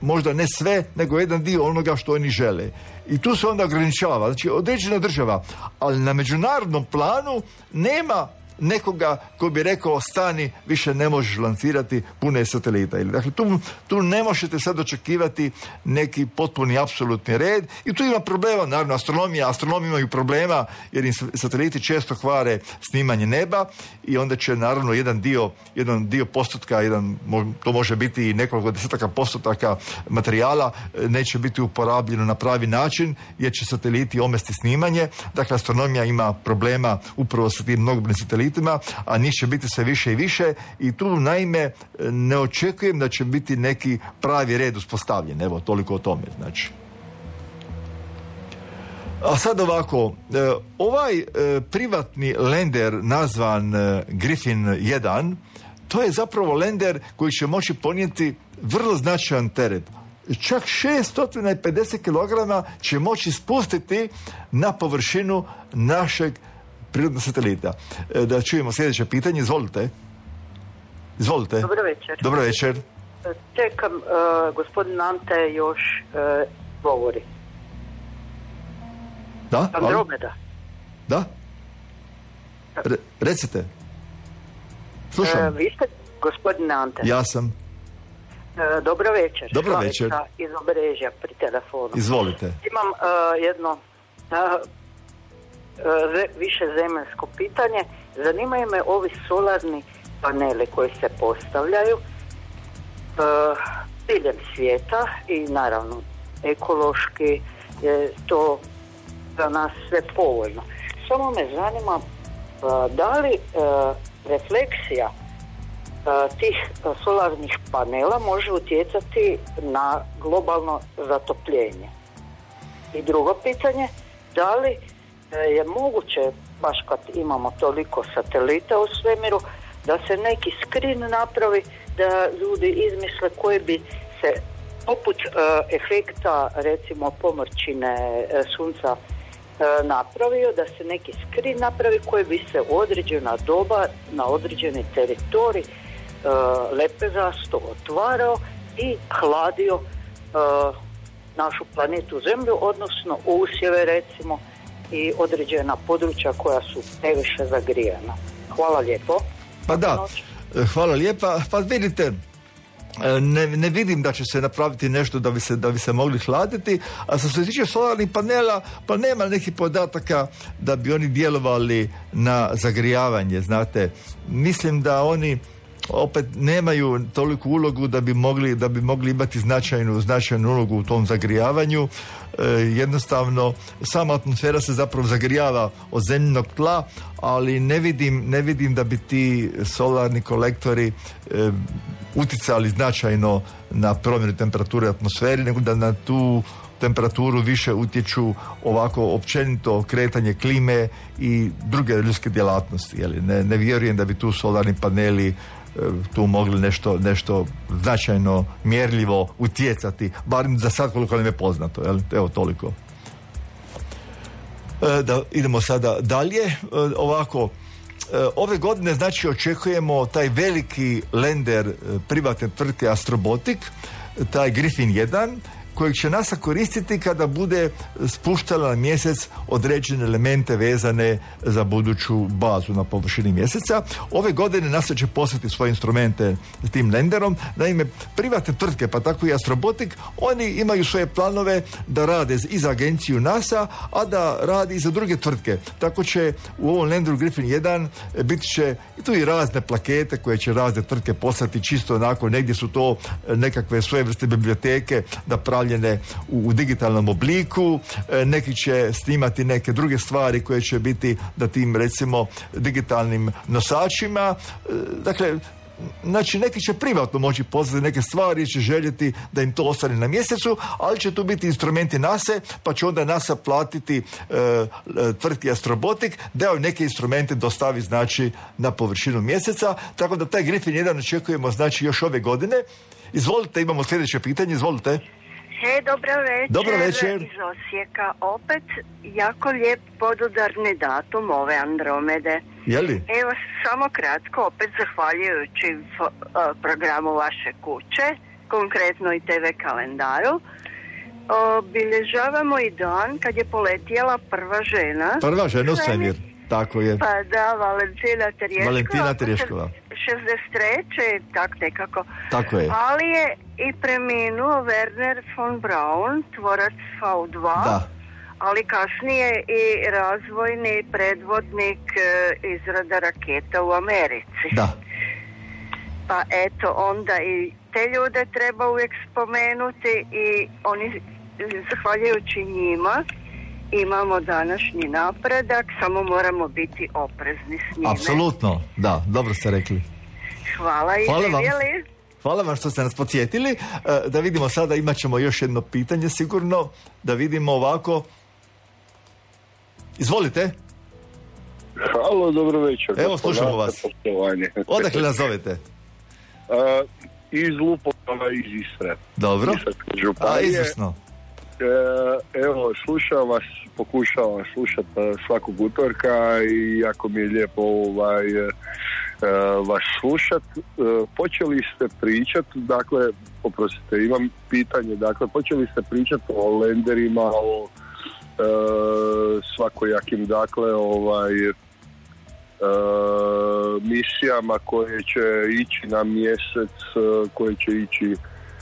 možda ne sve, nego jedan dio onoga što oni žele. I tu se onda ograničava. Znači, određena država, ali na međunarodnom planu nema nekoga ko bi rekao stani, više ne možeš lancirati pune satelita. Dakle, tu, tu ne možete sad očekivati neki potpuni apsolutni red i tu ima problema, naravno astronomija, astronomi imaju problema jer im sateliti često kvare snimanje neba i onda će naravno jedan dio, jedan dio postotka, jedan, to može biti i nekoliko desetaka postotaka materijala neće biti uporabljeno na pravi način jer će sateliti omesti snimanje. Dakle, astronomija ima problema upravo sa tim mnogobrojnim satelitima, a njih će biti sve više i više i tu naime ne očekujem da će biti neki pravi red uspostavljen. Evo, toliko o tome, znači. A sad ovako, ovaj privatni lender nazvan Griffin jedan, to je zapravo lender koji će moći ponijeti vrlo značajan teret. Čak šesto pedeset kilograma će moći spustiti na površinu našeg prirodnog satelita. Da čujemo sljedeće pitanje. Izvolite. Izvolite. Dobro večer. Dobro večer. Čekam, uh, gospodin Ante još uh, govori. Da? Andromeda. Da? Re, recite. Slušam. Uh, vi ste gospodin Ante. Ja sam. Uh, dobro večer. Dobro večer. Slavica iz Obrežja pri telefonu. Izvolite. Imam uh, jedno uh, više zemaljsko pitanje. Zanimaju me ovi solarni paneli koji se postavljaju uh, diljem svijeta i naravno ekološki je to za nas sve povoljno. Samo me zanima uh, da li uh, refleksija uh, tih uh, solarnih panela može utjecati na globalno zatopljenje. I drugo pitanje, da li je moguće, baš kad imamo toliko satelita u svemiru, da se neki screen napravi, da ljudi izmisle koji bi se poput uh, efekta recimo pomrčine uh, sunca uh, napravio, da se neki screen napravi koji bi se u određena doba na određeni teritorij uh, lepezasto otvarao i hladio uh, našu planetu Zemlju, odnosno usjeve recimo i određena područja koja su previše zagrijana. Hvala lijepo. Pa da, hvala lijepa. Pa vidite, ne, ne vidim da će se napraviti nešto da bi se, da bi se mogli hladiti, a što se tiče solarnih panela, pa nema nekih podataka da bi oni djelovali na zagrijavanje, znate. Mislim da oni opet nemaju toliku ulogu da bi mogli, da bi mogli imati značajnu, značajnu ulogu u tom zagrijavanju. E, jednostavno, sama atmosfera se zapravo zagrijava od zemljinog tla, ali ne vidim, ne vidim da bi ti solarni kolektori e, utjecali značajno na promjenu temperature atmosfere, nego da na tu temperaturu više utječu ovako općenito kretanje klime i druge ljudske djelatnosti. Jeli? Ne, ne vjerujem da bi tu solarni paneli tu mogli nešto, nešto značajno mjerljivo utjecati, barem za sad koliko nam je poznato. Jel? Evo toliko. E, da idemo sada dalje. E, ovako, e, ove godine znači očekujemo taj veliki lender privatne tvrtke Astrobotic, taj Griffin jedan, kojeg će NASA koristiti kada bude spuštala na mjesec određene elemente vezane za buduću bazu na površini mjeseca. Ove godine NASA će poslati svoje instrumente s tim lenderom. Naime, privatne tvrtke, pa tako i Astrobotic, oni imaju svoje planove da rade i za agenciju NASA, a da radi i za druge tvrtke. Tako će u ovom lenderu Griffin jedan biti će i tu i razne plakete koje će razne tvrtke poslati čisto onako, negdje su to nekakve svoje vrste biblioteke da pravi stavljene u, u digitalnom obliku, e, neki će snimati neke druge stvari koje će biti na tim, recimo, digitalnim nosačima. E, dakle, znači neki će privatno moći poslati neke stvari i će željeti da im to ostane na mjesecu, ali će tu biti instrumenti NASA, pa će onda NASA platiti e, e, tvrtki Astrobotik da joj neke instrumente dostavi, znači, na površinu mjeseca, tako da taj Griffin jedan očekujemo, znači, još ove godine. Izvolite, imamo sljedeće pitanje, izvolite. He, dobro večer. Dobro večer. Iz Osijeka. Opet jako lijep podudarni datum ove Andromede. Je li? Evo, samo kratko, opet zahvaljujući fo, uh, programu vaše kuće, konkretno i te ve kalendaru, obilježavamo i dan kad je poletjela prva žena. Prva žena u svemir, tako je. Pa da, Valentina Terješkova. Valentina Terješkova. šezdeset treće tak nekako. Tako je. Ali je i preminuo Werner von Braun, tvorac V dva, da. ali kasnije i razvojni predvodnik e, izrada raketa u Americi. Da. Pa eto, onda i te ljude treba uvijek spomenuti i oni, zahvaljujući njima, imamo današnji napredak, samo moramo biti oprezni s njime. Apsolutno, da, dobro ste rekli. Hvala i Hvala vam. živjeli. Hvala vam što ste nas podsjetili. Da vidimo sada, imat ćemo još jedno pitanje sigurno, da vidimo ovako. Izvolite. Halo, dobro večer. Evo, slušamo vas. Odakle nas zovete? Uh, iz Lupova, iz Istre. Dobro. A, izvrsno. Evo, slušam vas, pokušavam vas slušati svakog utorka i jako mi je lijepo ovaj, vas slušat. Počeli ste pričat, dakle, oprostite, imam pitanje, dakle, počeli ste pričat o lenderima, o e, svakojakim, dakle, ovaj, e, misijama koje će ići na mjesec, koje će ići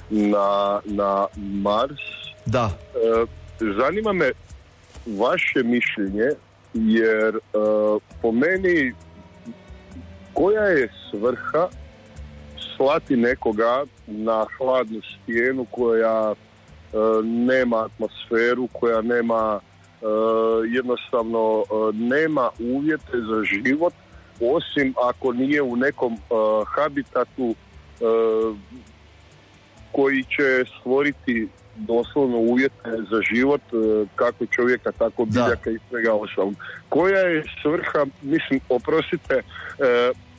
na, na Mars. Da. E, zanima me vaše mišljenje, jer e, po meni koja je svrha slati nekoga na hladnu stijenu koja e, nema atmosferu, koja nema e, jednostavno e, nema uvjete za život, osim ako nije u nekom e, habitatu e, koji će stvoriti doslovno uvjete za život, kako čovjeka, tako biljaka i svega ostalog. Koja je svrha, mislim, oprostite,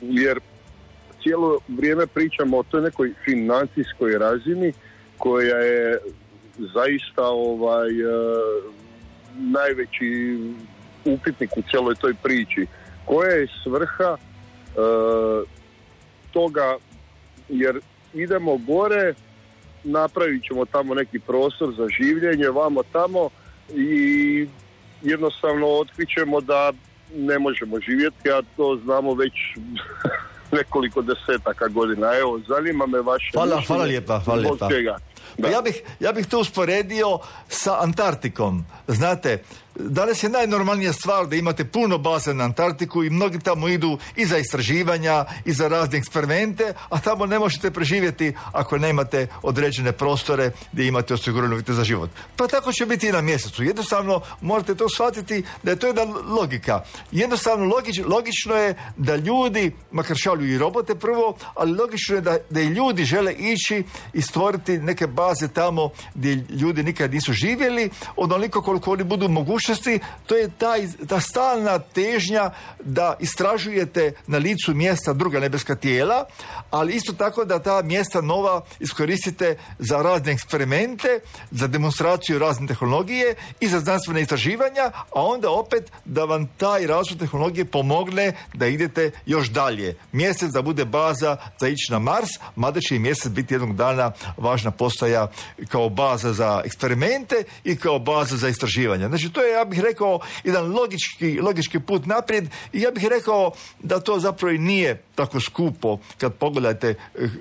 jer cijelo vrijeme pričamo o toj nekoj financijskoj razini koja je zaista ovaj najveći upitnik u cijeloj toj priči. Koja je svrha toga, jer idemo gore, napravit ćemo tamo neki prostor za življenje, vamo tamo, i jednostavno otkrićemo da ne možemo živjeti, a to znamo već nekoliko desetaka godina. Evo, zanima me vaše hvala, mišljenje. hvala lijepa, hvala lijepa. Pa ja bih, ja bih to usporedio sa Antarktikom. Znate, danas je najnormalnija stvar da imate puno baza na Antarktiku i mnogi tamo idu i za istraživanja i za razne eksperimente, a tamo ne možete preživjeti ako nemate određene prostore gdje imate osigurane uvjete za život. Pa tako će biti i na mjesecu. Jednostavno morate to shvatiti da je to jedna logika. Jednostavno logič, logično je da ljudi, makar šalju i robote prvo, ali logično je da, da i ljudi žele ići i stvoriti neke baze tamo gdje ljudi nikad nisu živjeli, onoliko koliko oni budu mogućnosti. To je taj, ta stalna težnja da istražujete na licu mjesta druga nebeska tijela, ali isto tako da ta mjesta nova iskoristite za razne eksperimente, za demonstraciju razne tehnologije i za znanstvene istraživanja, a onda opet da vam taj razvoj tehnologije pomogne da idete još dalje. Mjesec da bude baza za ići na Mars, mada će i mjesec biti jednog dana važna postaja kao baza za eksperimente i kao baza za istraživanja. Znači to je je, ja bih rekao, jedan logički, logički put naprijed i ja bih rekao da to zapravo i nije tako skupo kad pogledate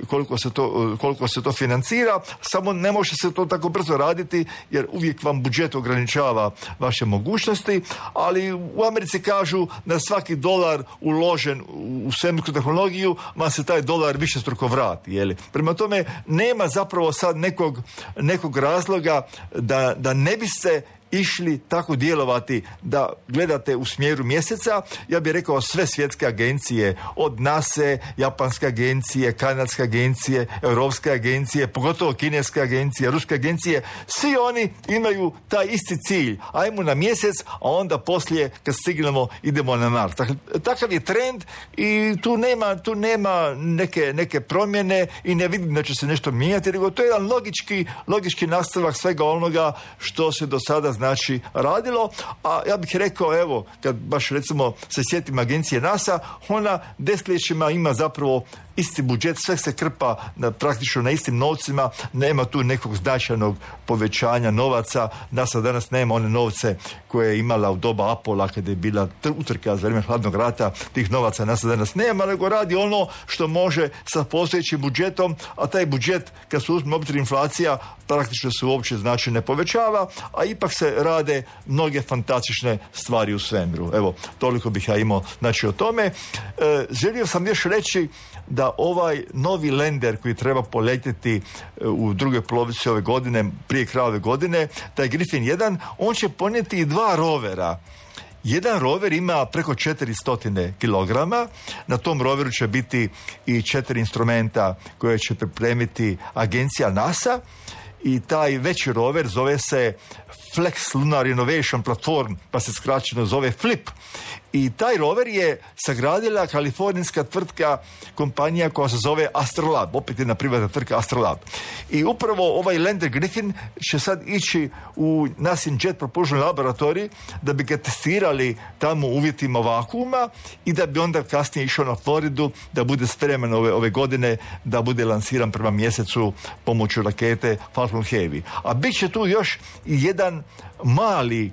koliko se to, koliko se to financira, samo ne može se to tako brzo raditi jer uvijek vam budžet ograničava vaše mogućnosti, ali u Americi kažu da svaki dolar uložen u svemirsku tehnologiju vam se taj dolar višestruko vrati. Jeli? Prema tome nema zapravo sad nekog, nekog razloga da, da ne biste išli tako djelovati da gledate u smjeru mjeseca. Ja bih rekao sve svjetske agencije, od nase, japanske agencije, kanadske agencije, europske agencije, pogotovo kineske agencije, ruske agencije, svi oni imaju taj isti cilj. Ajmo na mjesec, a onda poslije kad stignemo idemo na Mars. Dakle, takav je trend i tu nema, tu nema neke, neke promjene i ne vidim da će se nešto mijenjati, nego to je jedan logički, logički nastavak svega onoga što se do sada znači radilo, a ja bih rekao, evo, kad baš recimo se sjetim agencije NASA, ona desetljećima ima zapravo isti budžet, sve se krpa na, praktično na istim novcima, nema tu nekog značajnog povećanja novaca. NASA danas nema one novce koje je imala u doba Apola kada je bila utrka za vrijeme hladnog rata, tih novaca NASA danas nema, nego radi ono što može sa postojećim budžetom, a taj budžet, kad se uzme obzir inflacija, praktično se uopće znači ne povećava, a ipak se rade mnoge fantastične stvari u svemiru. Evo, toliko bih ja imao znači o tome. E, želio sam još reći da ovaj novi lender koji treba poletjeti u drugoj polovici ove godine, prije kraja ove godine, taj Griffin jedan, on će ponijeti i dva rovera. Jedan rover ima preko četiristo kilograma, na tom roveru će biti i četiri instrumenta koje će pripremiti agencija NASA i taj veći rover zove se Flex Lunar Innovation Platform, pa se skraćeno zove FLIP. I taj rover je sagradila kalifornijska tvrtka, kompanija koja se zove Astrolab, opet jedna privatna tvrtka Astrolab. I upravo ovaj lander Griffin će sad ići u nasin Jet Propulsion laboratorij da bi ga testirali tamo u uvjetima vakuuma i da bi onda kasnije išao na Floridu da bude spreman ove, ove godine da bude lansiran prema mjesecu pomoću rakete Falcon Heavy. A bit će tu još i jedan mali,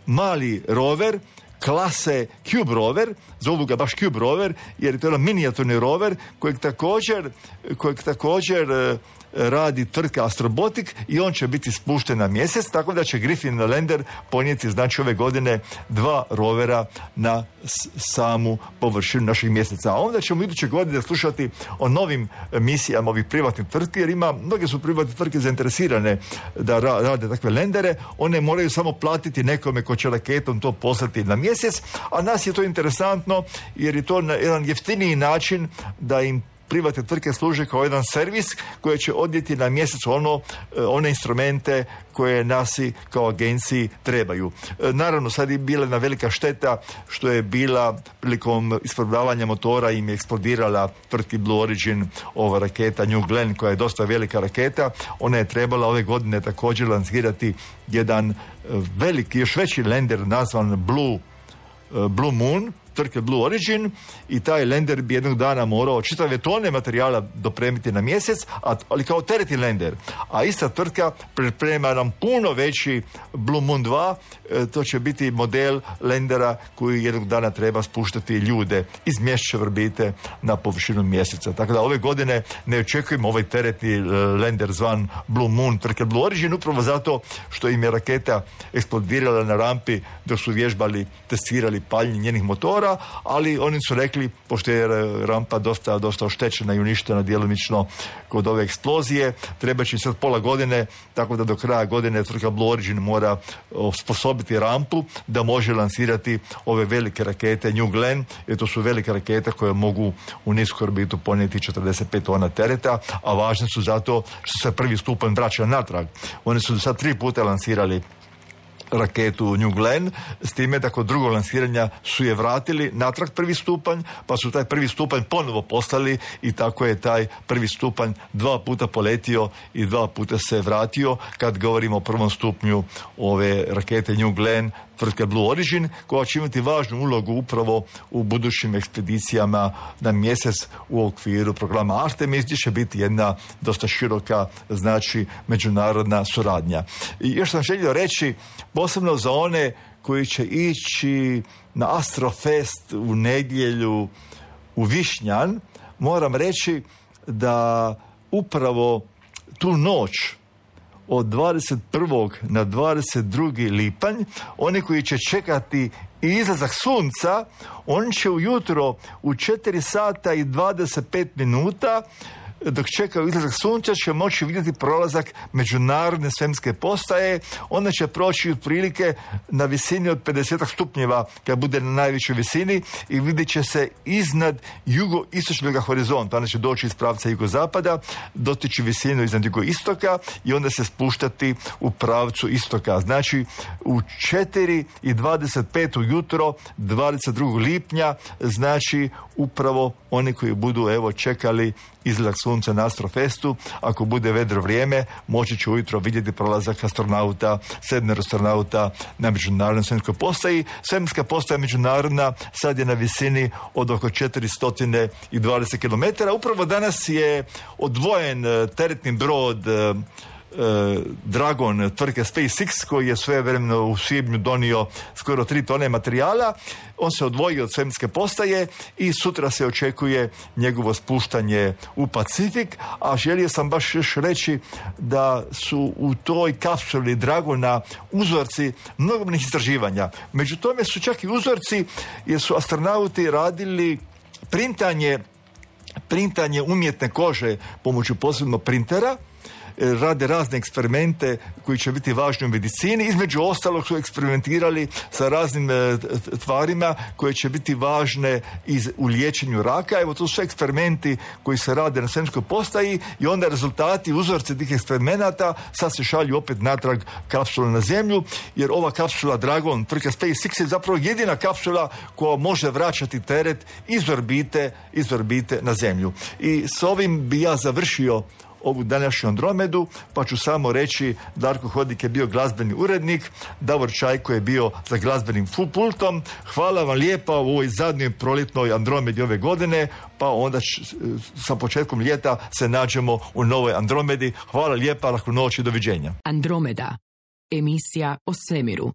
mali rover klase Cube rover, zovu ga baš Cube rover, jer je to jedan minijaturni rover kojeg također, kojeg također e, radi tvrtka Astrobotic i on će biti spušten na mjesec, tako da će Griffin lander ponijeti znači ove godine dva rovera na s- samu površinu našeg mjeseca. A onda ćemo iduće godine slušati o novim misijama ovih privatnih tvrtki, jer ima, mnoge su privatne tvrtke zainteresirane da ra- rade takve landere, one moraju samo platiti nekome ko će raketom to poslati na mjesec, a nas je to interesantno jer je to na jedan jeftiniji način da im privatne tvrtke služe kao jedan servis koji će odnijeti na mjesec ono, one instrumente koje nasi kao agenciji trebaju. Naravno, sad je bila jedna velika šteta što je bila prilikom isprobavanja motora im je eksplodirala tvrtki Blue Origin ova raketa New Glenn koja je dosta velika raketa. Ona je trebala ove godine također lansirati jedan veliki, još veći lander nazvan Blue, Blue Moon, tvrtke Blue Origin, i taj lander bi jednog dana morao čitave tone materijala dopremiti na mjesec, ali kao teretni lander. A ista tvrtka priprema nam puno veći Blue Moon dva, to će biti model landera koji jednog dana treba spuštati ljude iz mjesečeve orbite na površinu mjeseca. Tako da ove godine ne očekujemo ovaj teretni lander zvan Blue Moon tvrtke Blue Origin, upravo zato što im je raketa eksplodirala na rampi dok su vježbali, testirali paljenje njenih motora, ali oni su rekli, pošto je rampa dosta, dosta oštećena i uništena djelomično kod ove eksplozije, treba će sad pola godine, tako da do kraja godine tvrtka Blue Origin mora osposobiti rampu da može lansirati ove velike rakete New Glenn, jer to su velike rakete koje mogu u nisku orbitu ponijeti četrdeset pet tona tereta, a važne su zato što se prvi stupanj vraća natrag. Oni su sad tri puta lansirali raketu New Glenn, s time da kod drugog lansiranja su je vratili natrag prvi stupanj, pa su taj prvi stupanj ponovo poslali i tako je taj prvi stupanj dva puta poletio i dva puta se vratio. Kad govorimo o prvom stupnju ove rakete New Glenn tvrtke Blue Origin, koja će imati važnu ulogu upravo u budućim ekspedicijama na mjesec u okviru programa Artemis, gdje će biti jedna dosta široka, znači, međunarodna suradnja. I još sam želio reći, posebno za one koji će ići na Astrofest u nedjelju u Višnjan, moram reći da upravo tu noć od dvadeset prvog na dvadeset drugi lipanj, oni koji će čekati izlazak sunca, oni će ujutro u četiri sata i dvadeset pet minuta, dok čekaju izlazak sunca, će moći vidjeti prolazak međunarodne svemirske postaje. Ona će proći otprilike na visini od pedeset stupnjeva, kad bude na najvišoj visini, i vidjet će se iznad jugoistočnog horizonta. Ona će doći iz pravca jugozapada, dotići visinu iznad jugoistoka i onda se spuštati u pravcu istoka. Znači, u četiri i dvadeset pet ujutro, dvadeset drugog lipnja, znači upravo oni koji budu evo čekali izlazak sunca na Astrofestu, ako bude vedro vrijeme, moći će ujutro vidjeti prolazak astronauta, sedmero astronauta na međunarodnoj svemirskoj postaji. Svemirska postaja međunarodna sad je na visini od oko četiristo dvadeset kilometara. Upravo danas je odvojen teretni brod Dragon tvrtke SpaceX, koji je svojevremeno u svibnju donio skoro tri tone materijala. On se odvojio od svemirske postaje i sutra se očekuje njegovo spuštanje u Pacifik, a želio sam baš još reći da su u toj kapsuli Dragona uzorci mnogobrojnih istraživanja. Među tome su čak i uzorci jer su astronauti radili printanje printanje umjetne kože pomoću posebnog printera, rade razne eksperimente koji će biti važni u medicini. Između ostalog su eksperimentirali sa raznim e, tvarima koje će biti važne iz, u liječenju raka. Evo, to su eksperimenti koji se rade na svemirskoj postaji i onda rezultati, uzorci tih eksperimenata sad se šalju opet natrag kapsula na Zemlju, jer ova kapsula Dragon tvrtka SpaceX je zapravo jedina kapsula koja može vraćati teret iz orbite, iz orbite na Zemlju. I s ovim bi ja završio ovu današnju Andromedu, pa ću samo reći, Darko Hodnik je bio glazbeni urednik, Davor Čajko je bio za glazbenim pultom. Hvala vam lijepa u ovoj zadnjoj proljetnoj Andromedi ove godine, pa onda č- sa početkom ljeta se nađemo u novoj Andromedi. Hvala lijepa, lahko noć i doviđenja. Andromeda, emisija o svemiru.